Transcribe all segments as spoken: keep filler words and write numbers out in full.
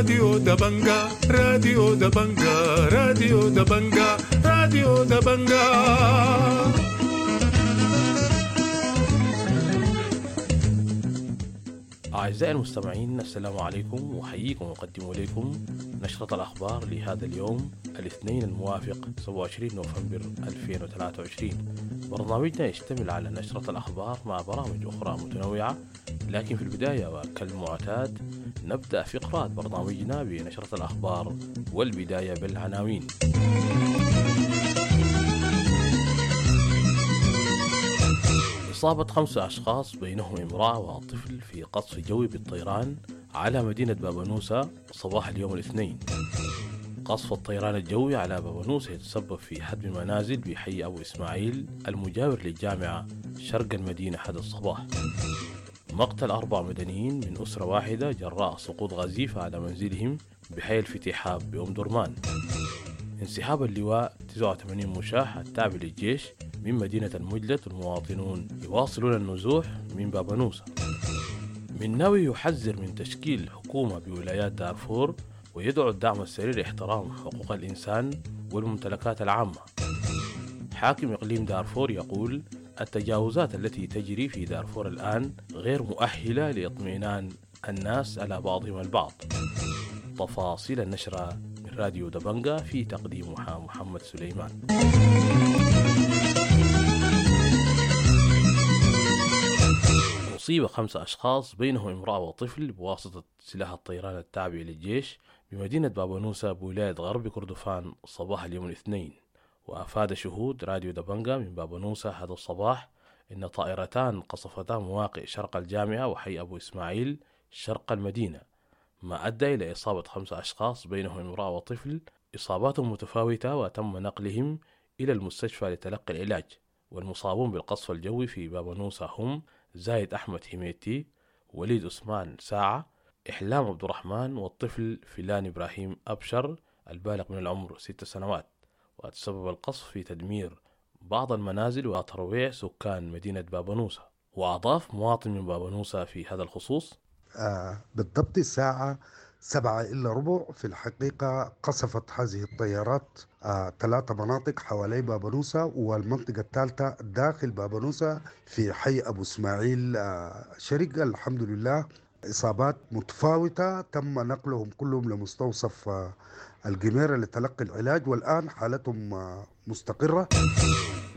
راديو دبنجا، راديو دبنجا، راديو دبنجا، راديو دبنجا. أعزائي المستمعين، السلام عليكم، وأحييكم وأقدم إليكم نشرة الأخبار لهذا اليوم الاثنين الموافق سبعة وعشرين نوفمبر ألفين وثلاثة وعشرين. برنامجنا يشتمل على نشرة الأخبار مع برامج أخرى متنوعة، لكن في البداية وكالمعتاد نبدأ فقرات برنامجنا بنشرة الأخبار، والبداية بالعناوين. إصابة خمسة أشخاص بينهم امرأة وطفل في قصف جوي بالطيران على مدينة بابنوسة صباح اليوم الاثنين. قصف الطيران الجوي على بابنوسة يتسبب في هدم منازل بحي أبو إسماعيل المجاور للجامعة شرق المدينة هذا الصباح. مقتل أربع مدنيين من أسرة واحدة جراء سقوط غزيفة على منزلهم بحي الفتيحاب بأم درمان. انسحاب اللواء تسعة وثمانين مشاة التابع للجيش من مدينة المجلد، المواطنون يواصلون النزوح من بابنوسة. مناوي يحذر من تشكيل حكومة بولايات دارفور ويدعو الدعم السريع لاحترام حقوق الإنسان والممتلكات العامة. حاكم إقليم دارفور يقول التجاوزات التي تجري في دارفور الآن غير مؤهلة لإطمئنان الناس على بعضهم البعض. تفاصيل النشرة من راديو دبنجا في تقديمها محمد سليمان. أصيب خمسة أشخاص بينهم امرأة وطفل بواسطة سلاح الطيران التابع للجيش بمدينة بابنوسة بولاية غرب كردفان صباح اليوم الاثنين. وأفاد شهود راديو دبنجا من بابنوسة هذا الصباح إن طائرتان قصفتا مواقع شرق الجامعة وحي أبو إسماعيل شرق المدينة، ما أدى إلى إصابة خمسة أشخاص بينهم امرأة وطفل إصابات متفاوتة، وتم نقلهم إلى المستشفى لتلقي العلاج. والمصابون بالقصف الجوي في بابنوسة هم زايد أحمد حميتي، وليد عثمان ساعة، إحلام عبد الرحمن، والطفل فلان إبراهيم أبشر البالغ من العمر ست سنوات. وتسبب القصف في تدمير بعض المنازل وترويع سكان مدينة بابنوسة. وأضاف مواطن من بابنوسة في هذا الخصوص: آه بالضبط الساعة سبعة إلا ربع في الحقيقة قصفت هذه الطيارات آه ثلاثة مناطق حوالي بابنوسة، والمنطقة الثالثة داخل بابنوسة في حي أبو إسماعيل آه شرق. الحمد لله إصابات متفاوتة تم نقلهم كلهم لمستوصف آه الجميرة لتلقي العلاج، والآن حالتهم آه مستقرة.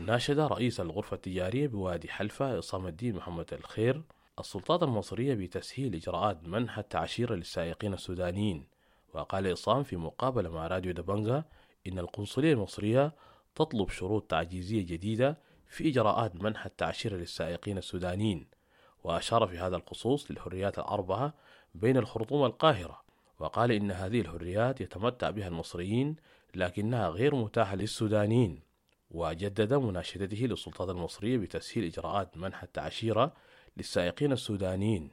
ناشد رئيس الغرفة التجارية بوادي حلفة عصام الدين محمد الخير السلطات المصرية بتسهيل إجراءات منح التعشيرة للسائقين السودانيين. وقال عصام في مقابلة مع راديو دبنجا إن القنصلية المصرية تطلب شروط تعجيزية جديدة في إجراءات منح التعشيرة للسائقين السودانيين. وأشار في هذا الخصوص للحريات الأربعة بين الخرطوم والقاهرة، وقال إن هذه الحريات يتمتع بها المصريين لكنها غير متاحة للسودانيين. وجدد مناشدته للسلطات المصرية بتسهيل إجراءات منح التعشيرة للسائقين السودانيين.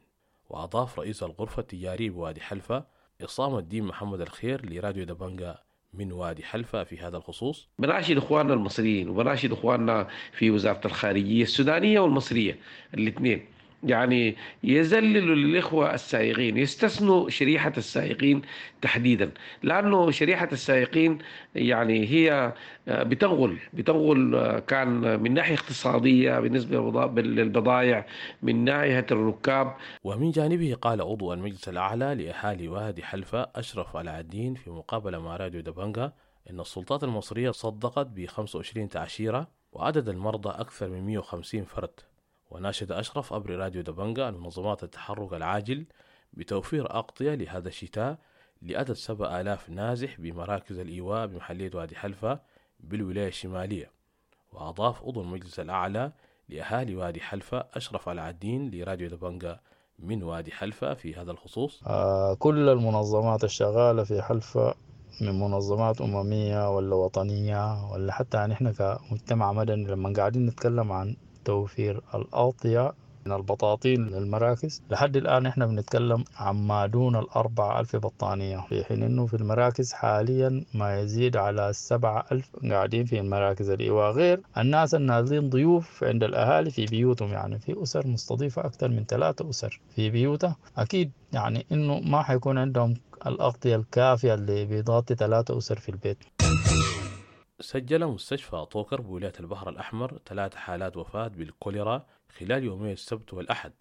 وأضاف رئيس الغرفة التجارية بوادي حلفة عصام الدين محمد الخير لراديو دبنجا من وادي حلفة في هذا الخصوص: بناشد إخواننا المصريين وبناشد إخواننا في وزارة الخارجية السودانية والمصرية الاثنين، يعني يذللوا للإخوة السائقين، يستثنوا شريحة السائقين تحديدا، لأنه شريحة السائقين يعني هي بتنغل بتنغل كان من ناحية اقتصادية بالنسبة للبضائع، من ناحية الركاب. ومن جانبه قال عضو المجلس الأعلى لأهالي وادي حلفة أشرف علاء الدين في مقابلة مع راديو دبنجا إن السلطات المصرية صدقت ب خمسة وعشرين تعشيرة وعدد المرضى أكثر من مئة وخمسين فرد. وناشد أشرف عبر راديو دبنجا المنظمات التحرك العاجل بتوفير أغطية لهذا الشتاء لعدد سبعة آلاف نازح بمراكز الإيواء بمحلية وادي حلفة بالولاية الشمالية. وأضاف عضو المجلس الأعلى لأهالي وادي حلفة أشرف علاء الدين لراديو دبنجا من وادي حلفة في هذا الخصوص: آه كل المنظمات الشغالة في حلفة من منظمات أممية ولا وطنية ولا حتى نحن كمجتمع مدني لما قاعدين نتكلم عن توفير الأغطية من البطاطين للمراكز. لحد الآن إحنا بنتكلم عن ما دون الأربعة ألف بطانية، في حين إنه في المراكز حاليا ما يزيد على سبعة ألف قاعدين في المراكز الإيواء، غير الناس النازلين ضيوف عند الأهالي في بيوتهم. يعني في أسر مستضيفة أكثر من ثلاثة أسر في بيوتها، أكيد يعني إنه ما حيكون عندهم الأغطية الكافية اللي بيضغطي ثلاثة أسر في البيت. سجل مستشفى طوكر بولاية البحر الأحمر ثلاث حالات وفاة بالكوليرا خلال يومي السبت والأحد،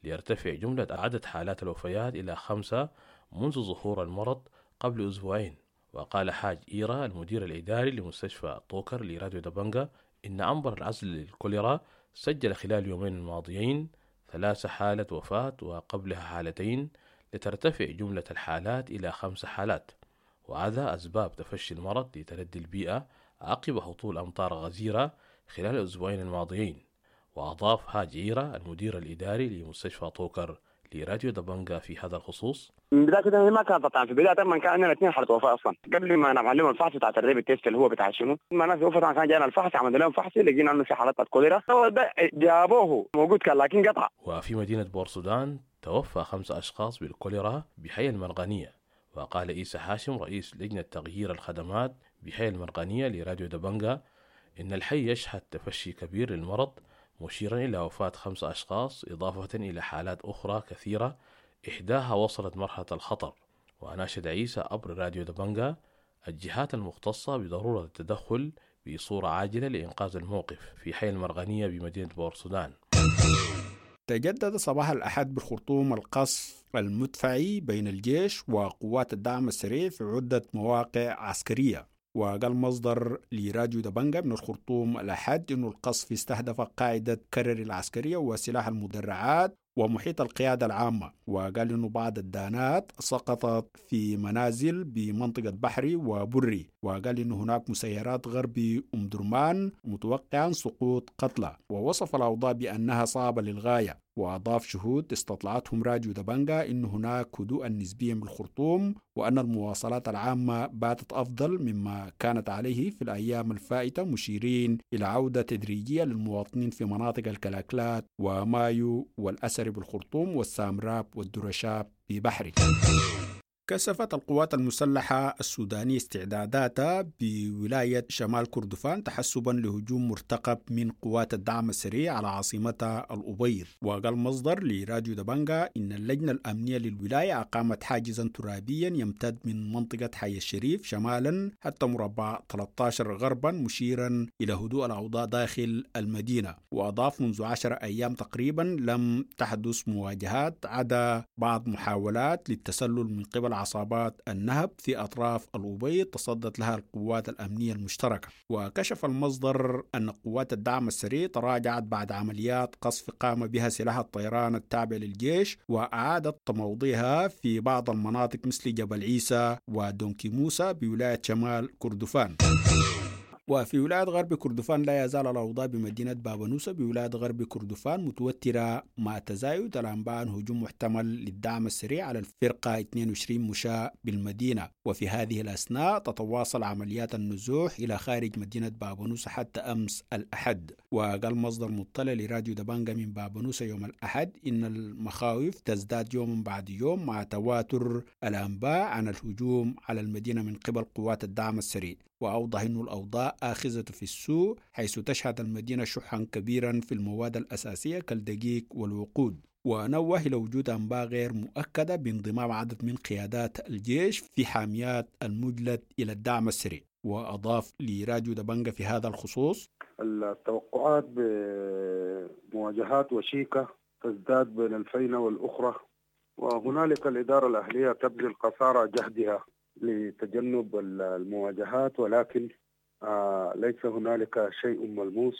ليرتفع جملة عدد حالات الوفيات إلى خمسة منذ ظهور المرض قبل أسبوعين. وقال حاج إيرا المدير الإداري لمستشفى طوكر لراديو دبنجا إن عنبر العزل للكوليرا سجل خلال اليومين الماضيين ثلاث حالة وفاة وقبلها حالتين، لترتفع جملة الحالات إلى خمس حالات. وهذا أسباب تفشي المرض لتردي البيئة عقب هطول أمطار غزيرة خلال الأسبوعين الماضيين. وأضاف هاج إيرا المدير الإداري لمستشفى طوكر لراديو دبنجا في هذا الخصوص: من بداية كده ما كانت طبعا، في بداية ما كان عندنا اثنين حالة وفاة أصلا قبل ما نعمل لهم الفحص بتاع ال rapid test اللي هو بتاع شنو، ما ناس وفاة كان جانا الفحص، عملنا لهم فحص لقينا انه في حالات كوليرا، هو ده جابوه موجود كان لكن قطع. وفي مدينة بورسودان توفى خمسة أشخاص بالكوليرا بحي المرغنية. وقال إيسى هاشم رئيس لجنة تغيير الخدمات بحي المرغنية لراديو دبنجا إن الحي يشهد تفشي كبير للمرض، مشيرا إلى وفاة خمسة أشخاص إضافة إلى حالات أخرى كثيرة إحداها وصلت مرحلة الخطر. وأناشد عيسى عبر راديو دبنجا الجهات المختصة بضرورة التدخل بصورة عاجلة لإنقاذ الموقف في حي المرغنية بمدينة بورسودان. تجدد صباح الأحد بالخرطوم القصف المدفعي بين الجيش وقوات الدعم السريع في عدة مواقع عسكرية. وقال مصدر لراديو دبنجا من الخرطوم الأحد إنه القصف استهدف قاعدة كرر العسكرية وسلاح المدرعات ومحيط القيادة العامة. وقال إنه بعض الدانات سقطت في منازل بمنطقة بحري وبري. وقال إنه هناك مسيرات غربي أم درمان متوقعا سقوط قتلى. ووصف الأوضاع بأنها صعبة للغاية. وأضاف شهود استطلعتهم راديو دبنجا إن هناك هدوءا نسبيا بالخرطوم، وأن المواصلات العامة باتت أفضل مما كانت عليه في الأيام الفائتة، مشيرين إلى عودة تدريجية للمواطنين في مناطق الكلاكلات ومايو والأسر بالخرطوم والسامراب والدرشاب ببحري. كثفت القوات المسلحة السودانية استعداداتها بولاية شمال كردفان تحسبا لهجوم مرتقب من قوات الدعم السريع على عاصمتها الأبيض. وقال مصدر لراديو دبنجا إن اللجنة الأمنية للولاية أقامت حاجزا ترابيا يمتد من منطقة حي الشريف شمالا حتى مربع ثلاثة عشر غربا، مشيرا إلى هدوء الأوضاع داخل المدينة. وأضاف منذ عشر أيام تقريبا لم تحدث مواجهات عدا بعض محاولات للتسلل من قبل عصابات النهب في أطراف الأبيض تصدت لها القوات الأمنية المشتركة. وكشف المصدر أن قوات الدعم السريع تراجعت بعد عمليات قصف قام بها سلاح الطيران التابع للجيش، وأعادت تموضيها في بعض المناطق مثل جبل عيسى ودونكي موسى بولاية شمال كردفان. وفي ولاية غرب كردفان لا يزال الأوضاع بمدينة بابنوسة بولاية غرب كردفان متوترة مع تزايد الأنباء عن هجوم محتمل للدعم السريع على الفرقة اثنين وعشرين مشاة بالمدينة. وفي هذه الأثناء تتواصل عمليات النزوح إلى خارج مدينة بابنوسة حتى أمس الأحد. وقال مصدر مطلع لراديو دبنجا من بابنوسة يوم الأحد إن المخاوف تزداد يوم بعد يوم مع تواتر الأنباء عن الهجوم على المدينة من قبل قوات الدعم السريع. وأوضح أن الأوضاع آخذة في السوء، حيث تشهد المدينة شحا كبيرا في المواد الأساسية كالدقيق والوقود. ونوه إلى وجود أنباء غير مؤكدة بانضمام عدد من قيادات الجيش في حاميات المجلد إلى الدعم السريع. وأضاف لراديو دبنجا في هذا الخصوص: التوقعات بمواجهات وشيكة تزداد بين الفينة والأخرى، وهنالك الإدارة الأهلية تبذل قصارى جهدها لتجنب المواجهات، ولكن ليس هنالك شيء ملموس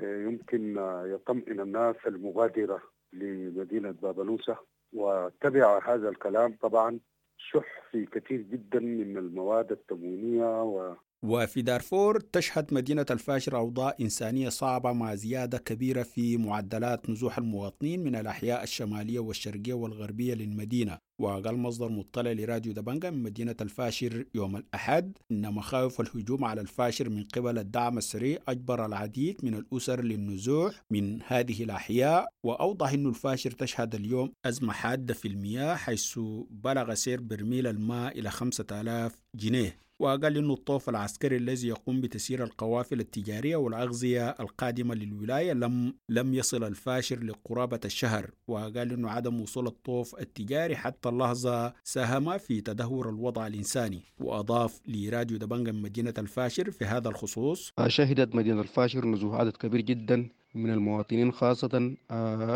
يمكن يطمئن الناس المغادرة لمدينة بابنوسة. وتبع هذا الكلام طبعا شح في كثير جدا من المواد التموينية. و وفي دارفور تشهد مدينة الفاشر أوضاع إنسانية صعبة مع زيادة كبيرة في معدلات نزوح المواطنين من الأحياء الشمالية والشرقية والغربية للمدينة. وقال مصدر مطلع لراديو دبنجا من مدينة الفاشر يوم الأحد إن مخاوف الهجوم على الفاشر من قبل الدعم السريع أجبر العديد من الأسر للنزوح من هذه الأحياء. وأوضح أن الفاشر تشهد اليوم أزمة حادة في المياه، حيث بلغ سعر برميل الماء إلى خمسة آلاف جنيه. وقال إنه الطوف العسكري الذي يقوم بتسيير القوافل التجارية والأغذية القادمة للولاية لم لم يصل الفاشر لقرابة الشهر. وقال إنه عدم وصول الطوف التجاري حتى اللحظة ساهم في تدهور الوضع الإنساني. وأضاف لراديو دبنجا من مدينة الفاشر في هذا الخصوص: شهدت مدينة الفاشر نزوح عدد كبير جدا من المواطنين، خاصة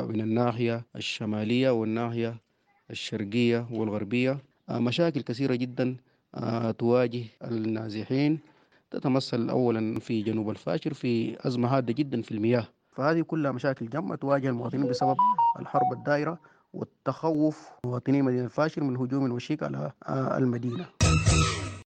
من الناحية الشمالية والناحية الشرقية والغربية. مشاكل كثيرة جدا تواجه النازحين، تتمثل أولا في جنوب الفاشر في أزمة حادة جدا في المياه. فهذه كلها مشاكل جمة تواجه المواطنين بسبب الحرب الدائرة والتخوف مواطني مدينة الفاشر من هجوم وشيك على المدينة.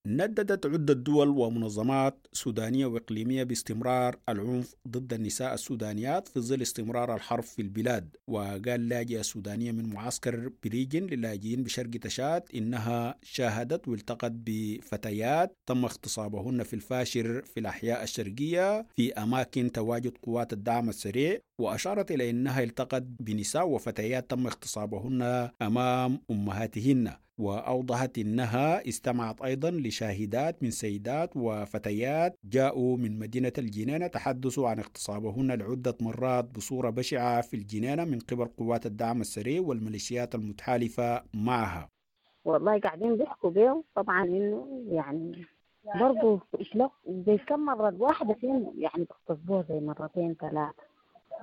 نددت عدة دول ومنظمات سودانية وإقليمية باستمرار العنف ضد النساء السودانيات في ظل استمرار الحرب في البلاد. وقال لاجئة سودانية من معسكر بريجن للاجئين بشرق تشاد إنها شاهدت والتقت بفتيات تم اغتصابهن في الفاشر في الأحياء الشرقية في أماكن تواجد قوات الدعم السريع. وأشارت إلى أنها التقت بنساء وفتيات تم اغتصابهن أمام أمهاتهن. وأوضحت أنها استمعت أيضا لشاهدات من سيدات وفتيات جاءوا من مدينة الجنينة تحدثوا عن اغتصابهن لعدة مرات بصورة بشعة في الجنينة من قبل قوات الدعم السريع والميليشيات المتحالفة معها. والله قاعدين بيحكوا بيه طبعا إنه يعني برضو إطلاق زي كم مرة الواحدة فيهم يعني بيغتصبوها زي مرتين ثلاثة،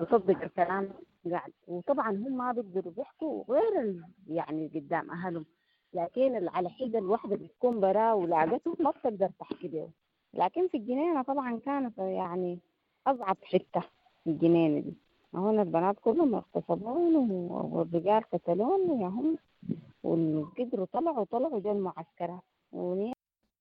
بصدق الكلام قاعد. وطبعا هم ما بيقدروا بيحكوا غير ال... يعني قدام أهلهم، لكن على حدة الواحدة بتكون برا ولاقته ما بتقدر تحكي به. لكن في الجنينة طبعا كانت يعني أصعب حتة في الجنينة دي، هنا البنات كلهم اغتصبون والرجال قتلون يا هم، وقدروا طلعوا طلعوا جو المعسكرات.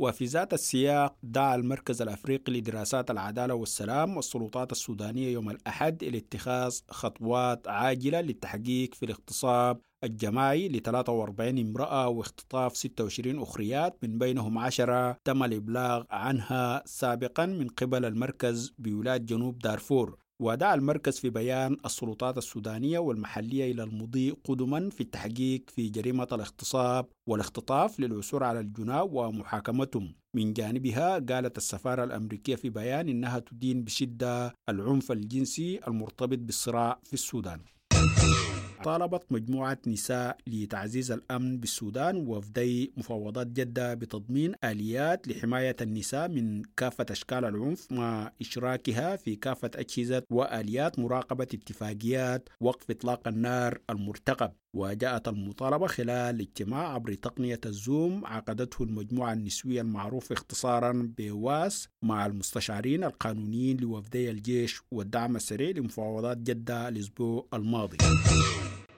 وفي ذات السياق دعا المركز الأفريقي لدراسات العدالة والسلام والسلطات السودانية يوم الأحد إلى اتخاذ خطوات عاجلة للتحقيق في الاغتصاب الجماعي ل ثلاثة وأربعين امرأة واختطاف ستة وعشرين أخريات من بينهم عشرة تم الإبلاغ عنها سابقا من قبل المركز بولاية جنوب دارفور. ودعا المركز في بيان السلطات السودانية والمحلية إلى المضي قدما في التحقيق في جريمة الاغتصاب والاختطاف للعثور على الجناة ومحاكمتهم. من جانبها قالت السفارة الأمريكية في بيان إنها تدين بشدة العنف الجنسي المرتبط بالصراع في السودان. طالبت مجموعة نساء لتعزيز الأمن بالسودان وفدي مفاوضات جدة بتضمين آليات لحماية النساء من كافة أشكال العنف مع إشراكها في كافة أجهزة وآليات مراقبة اتفاقيات وقف إطلاق النار المرتقب. وجاءت المطالبة خلال اجتماع عبر تقنية الزوم عقدته المجموعة النسوية المعروفة اختصارا بواس مع المستشارين القانونيين لوفدي الجيش والدعم السريع لمفاوضات جدة الأسبوع الماضي.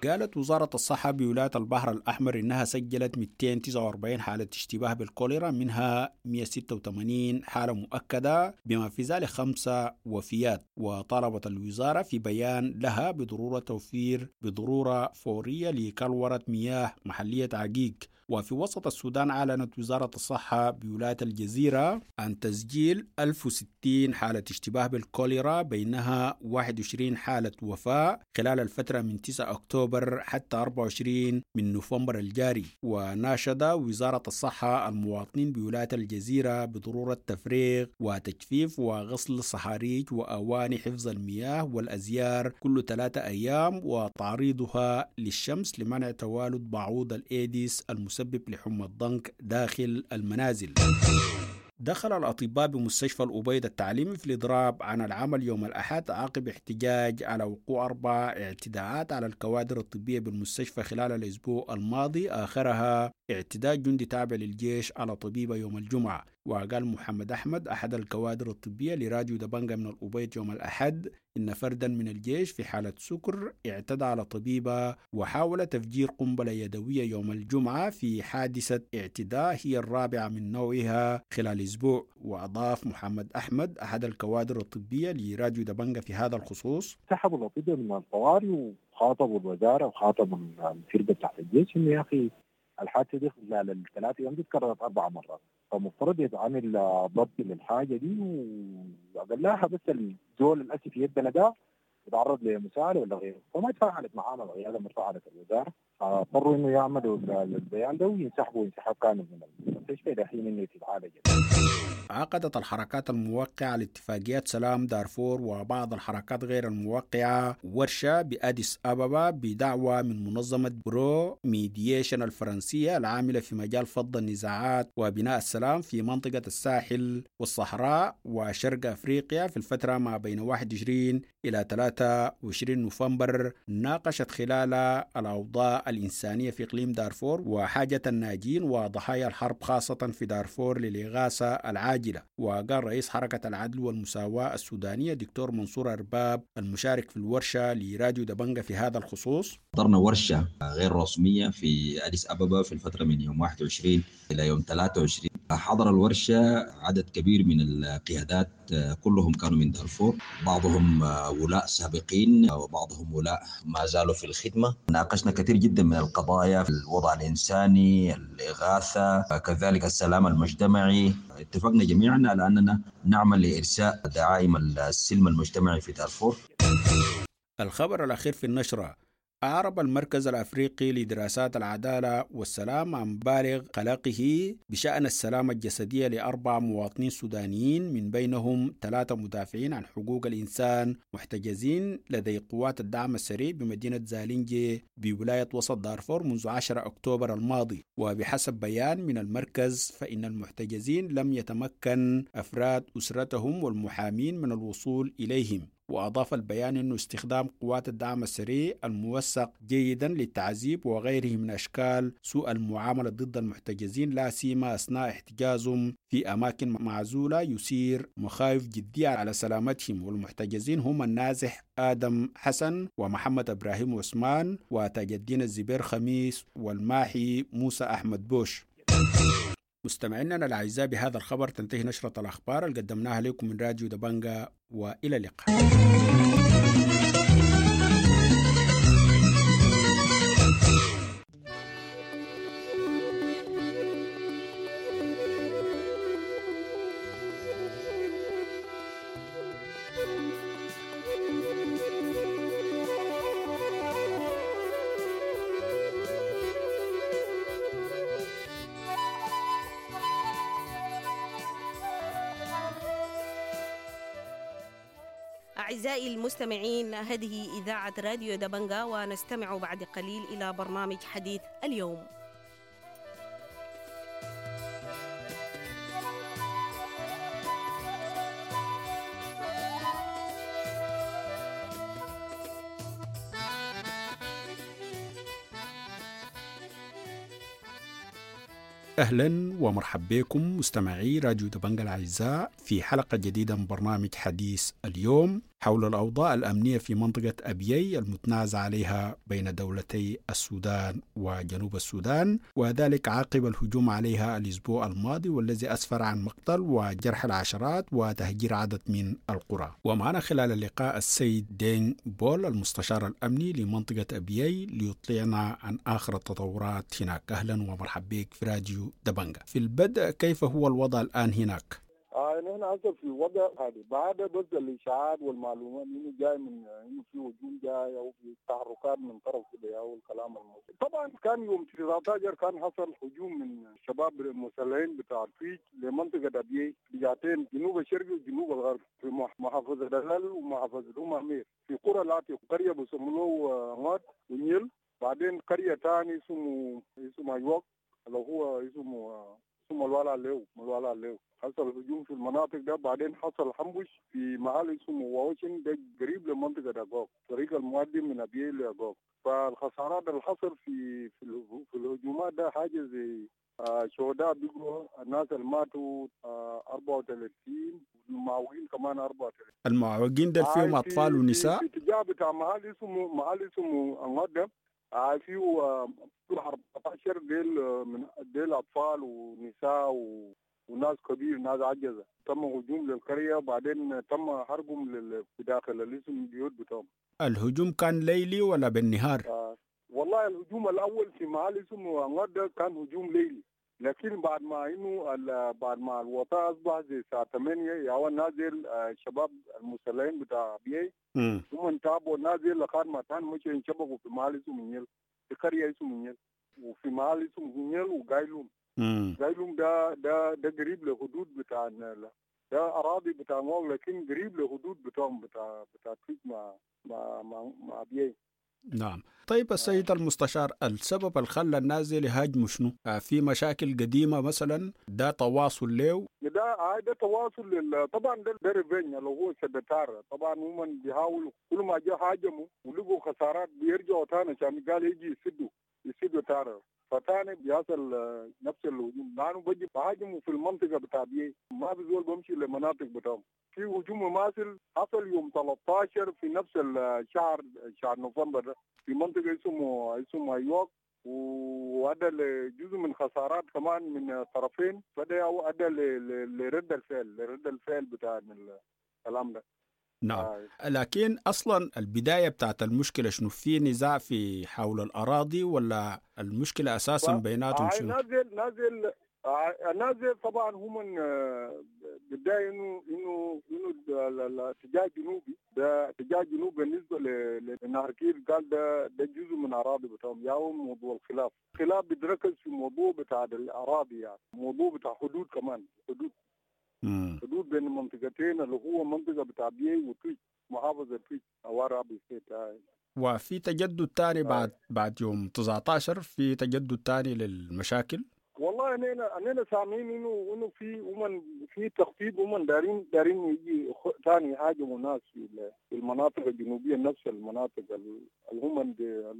قالت وزارة الصحة بولاية البحر الأحمر إنها سجلت مئتين وتسعة وأربعين حالة اشتباه بالكوليرا، منها مئة وستة وثمانين حالة مؤكدة بما في ذلك خمسة وفيات. وطالبت الوزارة في بيان لها بضرورة توفير بضرورة فورية لكلورة مياه محلية عقيق. وفي وسط السودان أعلنت وزارة الصحة بولاية الجزيرة عن تسجيل ألف وستين حالة اشتباه بالكوليرا، بينها واحد وعشرين حالة وفاة خلال الفترة من تسعة أكتوبر حتى أربعة وعشرين من نوفمبر الجاري. وناشد وزارة الصحة المواطنين بولاية الجزيرة بضرورة تفريغ وتجفيف وغسل الصحاريج وأواني حفظ المياه والأزيار كل ثلاثة أيام وتعريضها للشمس لمنع توالد بعوض الإيديس المسبب لحمى الضنك داخل المنازل. دخل الأطباء بمستشفى الأبيض التعليمي في الإضراب عن العمل يوم الأحد عقب احتجاج على وقوع أربع اعتداءات على الكوادر الطبية بالمستشفى خلال الأسبوع الماضي، آخرها اعتداء جندي تابع للجيش على طبيبة يوم الجمعة. وقال محمد أحمد أحد الكوادر الطبية لراديو دبنجا من الأبيض يوم الأحد إن فردا من الجيش في حالة سكر اعتدى على طبيبة وحاول تفجير قنبلة يدوية يوم الجمعة في حادثة اعتداء هي الرابعة من نوعها خلال أسبوع. وأضاف محمد أحمد أحد الكوادر الطبية لراديو دبنجا في هذا الخصوص: سحبوا الأطباء من الطوارئ وخاطبوا الوزارة وخاطبوا الفرقة بتاعت الجيش إنه يا أخي الحادثة دي خلال الثلاث ايام دي تكررت اربع مرات، فمفترض يتعمل ضبط للحاجة دي، واقلها بس الزول الاسف يدنا ده يتعرض لمساءله ولا غيره. فما تفاعلت معانا القيادة، ما تفاعلت الوزارة، فاضطروا انه يعملوا البيان ده وينسحبوا انسحاب كامل من المستشفى الى حين انه تتعالج. عقدت الحركات الموقعة لاتفاقيات سلام دارفور وبعض الحركات غير الموقعة ورشة بأديس أبابا بدعوة من منظمة برو ميديشن الفرنسية العاملة في مجال فض النزاعات وبناء السلام في منطقة الساحل والصحراء وشرق أفريقيا في الفترة ما بين واحد وعشرين إلى ثلاثة وعشرين نوفمبر. ناقشت خلالها الأوضاع الإنسانية في إقليم دارفور وحاجة الناجين وضحايا الحرب خاصة في دارفور للإغاثة العاجلة. وقال رئيس حركة العدل والمساواة السودانية دكتور منصور أرباب المشارك في الورشة لراديو دبنجة في هذا الخصوص: حضرنا ورشة غير رسمية في أديس أبابا في الفترة من يوم واحد وعشرين إلى يوم ثلاثة وعشرين. حضر الورشة عدد كبير من القيادات، كلهم كانوا من دارفور، بعضهم ولاء سابقين وبعضهم ولاء ما زالوا في الخدمة. ناقشنا كثير جدا من القضايا، الوضع الإنساني، الإغاثة، كذلك السلام المجتمعي. اتفقنا جميعا على أننا نعمل لإرساء دعائم السلم المجتمعي في دارفور. الخبر الأخير في النشرة: أعرب المركز الأفريقي لدراسات العدالة والسلام عن بالغ قلقه بشأن السلامة الجسدية لأربع مواطنين سودانيين من بينهم ثلاثة مدافعين عن حقوق الإنسان محتجزين لدي قوات الدعم السريع بمدينة زالينجي بولاية وسط دارفور منذ عشرة أكتوبر الماضي. وبحسب بيان من المركز فإن المحتجزين لم يتمكن أفراد أسرتهم والمحامين من الوصول إليهم. وأضاف البيان أن استخدام قوات الدعم السريع الموثق جيدا للتعذيب وغيره من أشكال سوء المعاملة ضد المحتجزين لا سيما أثناء احتجازهم في أماكن معزولة يثير مخاوف جدية على سلامتهم. والمحتجزين هم النازح آدم حسن ومحمد إبراهيم عثمان وتاج الدين الزبير خميس والماحي موسى أحمد بوش. مستمعينا الأعزاء، بهذا الخبر تنتهي نشرة الأخبار اللي قدمناها لكم من راديو دبنجة، وإلى اللقاء. أعزائي المستمعين، هذه إذاعة راديو دبنجة، ونستمع بعد قليل إلى برنامج حديث اليوم. أهلا ومرحبا بكم مستمعي راديو دبنجة الأعزاء في حلقة جديدة من برنامج حديث اليوم حول الأوضاع الأمنية في منطقة أبيي المتنازع عليها بين دولتي السودان وجنوب السودان، وذلك عقب الهجوم عليها الأسبوع الماضي والذي أسفر عن مقتل وجرح العشرات وتهجير عدد من القرى. ومعنا خلال اللقاء السيد دين بول المستشار الأمني لمنطقة أبيي ليطلعنا عن آخر التطورات هناك. أهلا ومرحبا بك في راديو دبنجة. في البدء، كيف هو الوضع الآن هناك؟ آه نحن هسه في وضع هذا بعد بس الاشاعات والمعلومات انه جاي من انه في هجوم جاي او في تحركات من طرف كده او الكلام الموجود. طبعا كان يوم تسعة عشر كان حصل هجوم من الشباب المسلحين بتاع الفيج لمنطقه ابيي بجهتين، جنوب الشرقي وجنوب الغرب، في محافظة دلال ومحافظة ام امير، في قرى لاتي قرية بيسموه غاد ونيل، بعدين قرية ثانية اسمه اسمه ايوك اللي هو اسمه اسمه الوالا ليو الوالا ليو. حصل هجوم في المناطق ده. بعدين حصل حنبش في محل اسمه واوشن ده قريب لمنطقة أغوك، طريق المؤدي من أبيي لأغوك. فالخسارات اللي حصل في في, في الهجومات ده حاجة زي آه شهداء بيقولوا الناس اللي ماتوا آه أربعة وثلاثين والمعوقين كمان أربعة وثلاثين. المعوقين ده فيهم أطفال ونساء؟ في اتجاه بتاع محل اسمه محل اسمه أنغادة آه فيه أربعة عشر ديل من ديل أطفال ونساء و وناس كبير ناس عجزة. تم هجوم للقرية، بعدين تم حرقهم في داخل الاسم البيوت بتاعهم. الهجوم كان ليلي ولا بالنهار؟ آه والله والله الهجوم الاول في محل اسمه انغد كان هجوم ليلي، لكن بعد ما انه بعد ما الوطاء اصبح زي الساعة ثمانية يا نازل الشباب المسلحين بتاع بي هم تابوا نازل لغاية ما كان مشوا ينشبكوا في محل اسمه نيل، في قرية اسمه نيل، وفي محل اسمه نيل وقايلوم. قايلوم ده ده ده قريب لحدود بتاع ده اراضي بتاع مول، لكن قريب لحدود بتاعهم بتاع بتاع تويج مع مع مع, مع بي. نعم. طيب السيد المستشار، السبب اللي خلى الناس دي يهاجموا شنو؟ في مشاكل قديمة مثلا، ده تواصل له؟ ده ده تواصل لل... طبعا ده ده revenge اللي هو سدتار. طبعا هم بيحاولوا كل ما جاء هاجموا ولقوا خسارات بيرجعوا تاني عشان قال يجي يسدوا يسدوا تارة، فتاني بيحصل نفس الهجوم لانه بيجي بهاجموا في المنطقة بتاع بي، ما بزول بمشي للمناطق بتاعهم. في هجوم مماثل حصل يوم ثلاثة عشر في نفس الشهر شهر نوفمبر في منطقة اسمه اسمه ايوك، وادى لجزء من خسارات كمان من الطرفين، فده ادى لرد الفعل لرد الفعل بتاع الكلام ده. نعم. لكن اصلا البداية بتاعت المشكلة شنو؟ في نزاع في حول الاراضي ولا المشكلة اساسا بيناتهم شنو؟ نازل نازل نازل طبعا هم بداية انه انه انه الاتجاه الجنوبي ده اتجاه الجنوب بالنسبة لنهر كير، قال ده ده جزء من اراضي بتاعهم. ياهم موضوع الخلاف، الخلاف بيتركز في موضوع بتاع الاراضي، يعني موضوع بتاع حدود كمان، حدود حدود بين المنطقتين اللي هو منطقة بتاع بيي وتويج، محافظة تويج ورابي state. وفي تجدد ثاني بعد بعد يوم تسعة عشر، في تجدد ثاني للمشاكل؟ والله اننا اننا سامعين انه انه في ومن في تخطيط، ومن دارين دارين يجي ثاني يهاجموا ناس في المناطق الجنوبية، نفس المناطق اللي هم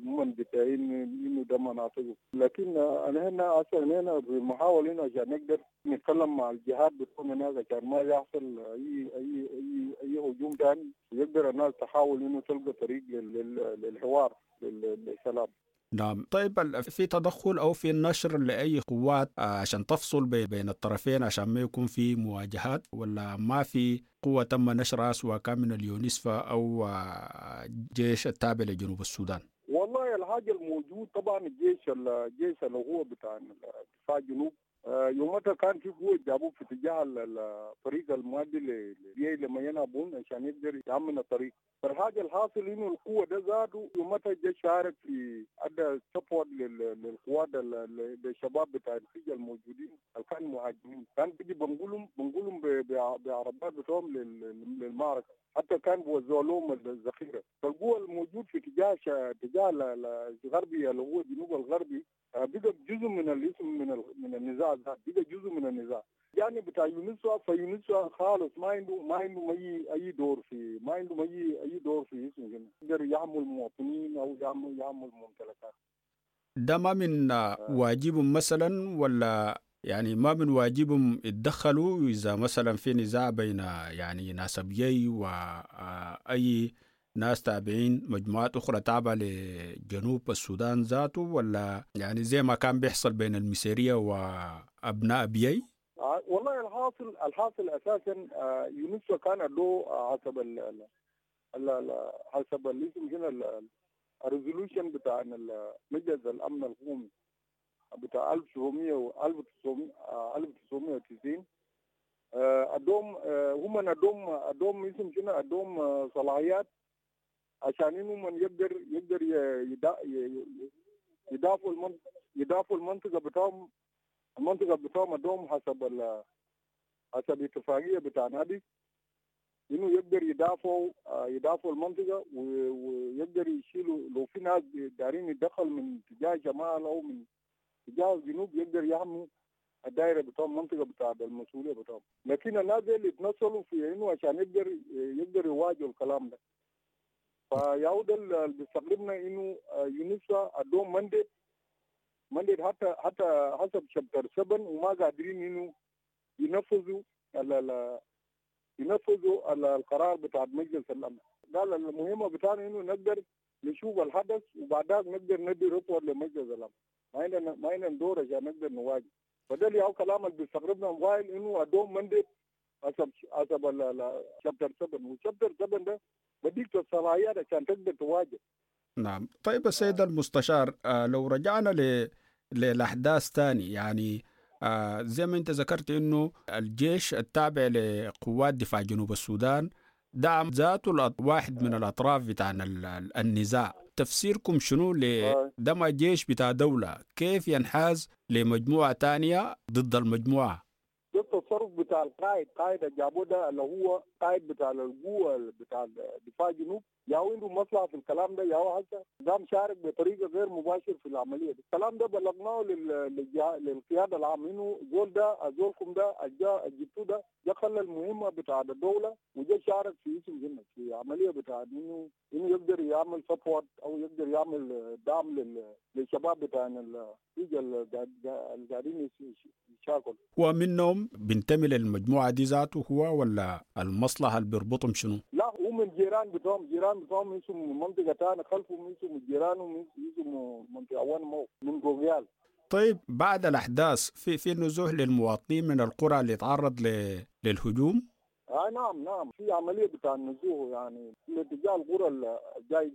هم بتاعين انه ده مناطق. لكن انا هنا اصلا هنا بنحاول هنا عشان نقدر نتكلم مع الجهات بتكون هناك عشان ما يحصل اي اي اي اي هجوم ثاني، ويقدر الناس تحاول انه تلقى طريق للحوار للسلام. نعم. طيب في تدخل أو في نشر لأي قوات عشان تفصل بين الطرفين عشان ما يكون في مواجهات، ولا ما في قوة تم نشرها سواء كان من اليونسفا أو جيش التابع لجنوب السودان؟ والله الحاجة الموجود طبعا الجيش الجيش اللي هو بتاع دفاع الجنوب يومتها كان في قوة جابوه في اتجاه الطريق المؤدي لبيي لما ينابون عشان يقدر يأمن الطريق. فالحاجة الحاصل انه القوة ده زادوا يومتها الجيش شارك في ادى support للقوات للشباب بتاع الفيجة الموجودين اللي كانوا مهاجمين، كان بيجي بنقولهم بنقولهم بعربات بتوعهم للمعركة، حتى كان بوزعوا لهم الذخيرة. فالقوة الموجود في اتجاه اتجاه الغربي اللي هو الجنوب الغربي بقى جزء من الاسم من من النزاع ده، بقى جزء من النزاع. يعني بتاع يونسوا، فيونسوا خالص ما عنده ما عنده اي اي دور في ما عنده اي اي دور في اسمه هنا، يقدر يعمل المواطنين او يعمل يعمل الممتلكات. ده ما من واجبهم مثلا، ولا يعني ما من واجبهم يتدخلوا اذا مثلا في نزاع بين يعني ناس ابيي واي ناس تابعين مجموعات أخرى تابعة لجنوب السودان ذاته، ولا يعني زي ما كان بيحصل بين المسيرية وأبناء بيي؟ والله الحاصل الحاصل أساسا يونسوا كان له حسب ال حسب الاسم هنا ال resolution بتاع مجلس الأمن القومي بتاع ألف وتسعمية وتسعين، أدوم هم أدوم أدوم اسم شنو أدوم صلاحيات عشان انه من يقدر يقدر يدافعوا المنطقة يدافعوا المنطقة بتاعهم المنطقة بتاعهم ادوم حسب ال حسب الاتفاقية بتاع نادي انه يقدر يدافعوا يدافعوا المنطقة ويقدر يشيلوا لو في ناس دارين يتدخل من اتجاه شمال او من اتجاه الجنوب يقدر يحموا الدائرة بتاعهم المنطقة بتاع المسؤولية بتاعهم. لكن الناس اللي اتنصلوا في انه عشان يقدر يقدر يواجهوا الكلام ده. فيعود اللي بيستغربنا انه يونسا ادوم mandate mandate حتى حتى حسب chapter سبعة وما قادرين انه ينفذوا ينفذوا القرار بتاع مجلس الامن. قال المهمة بتاعنا انه نقدر نشوف الحدث وبعدها نقدر ندي report لمجلس الامن، ما عندنا ما عندنا دور عشان نقدر نواجه. فده اللي هو كلام اللي بيستغربنا موبايل انه ادوم mandate حسب حسب chapter سبعة، و chapter سبعة ده بديك الصلاحيات عشان تقدر تواجه. نعم. طيب السيد المستشار، آه لو رجعنا ل... للأحداث تاني، يعني آه زي ما أنت ذكرت إنه الجيش التابع لقوات دفاع جنوب السودان دعم ذاته واحد من الأطراف بتاع النزاع، تفسيركم شنو لده؟ ما جيش بتاع دولة كيف ينحاز لمجموعة تانية ضد المجموعة؟ ده التصرف بتاع القائد، قائد جابوه ده اللي هو قائد بتاع القوة بتاع دفاع جنوب، ياهو عنده مصلحة في الكلام ده، ياهو هسه قام شارك بطريقة غير مباشر في العملية دي. الكلام ده بلغناه للقيادة العامة انه زول ده زولكم ده جا جبتوه ده جا خلى المهمة بتاع الدولة وجا شارك في اسم هنا في عملية بتاع انه انه يقدر يعمل support او يقدر يعمل دعم للشباب بتاع اللي قاعدين يشاكلوا. ومنهم بينتمي للمجموعة دي ذاته هو ولا المصلحة اللي بيربطهم شنو؟ لا هو من جيران بتوعهم، جيران بتوعهم اسمه منطقة ثانية خلفهم اسمه جيرانهم اسمه منطقة وان مو من جوجيال. طيب بعد الأحداث في في نزوح للمواطنين من القرى اللي تعرض للهجوم؟ آه نعم نعم، في عملية بتاع النزوح يعني لاتجاه القرى الجاي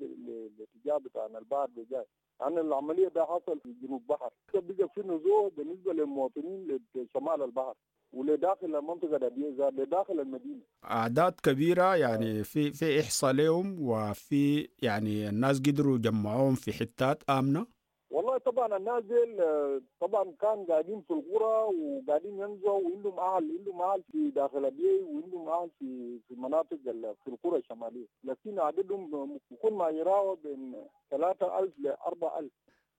لاتجاه بتاع البحر الجاي، يعني العملية ده حصل في جنوب بحر، بقى في نزوح بالنسبة للمواطنين لشمال البحر ولداخل المنطقة دي لداخل المدينة. أعداد كبيرة يعني في في إحصاء لهم، وفي يعني الناس قدروا يجمعوهم في حتات آمنة؟ والله طبعا الناس دي طبعا كان قاعدين في القرى وقاعدين ينزعوا، وعندهم اهل عندهم اهل في داخل ابيي وعندهم اهل في في مناطق في القرى الشماليه، لكن عددهم بيكون ما يراوح بين ثلاثة ألف ل أربعة ألف.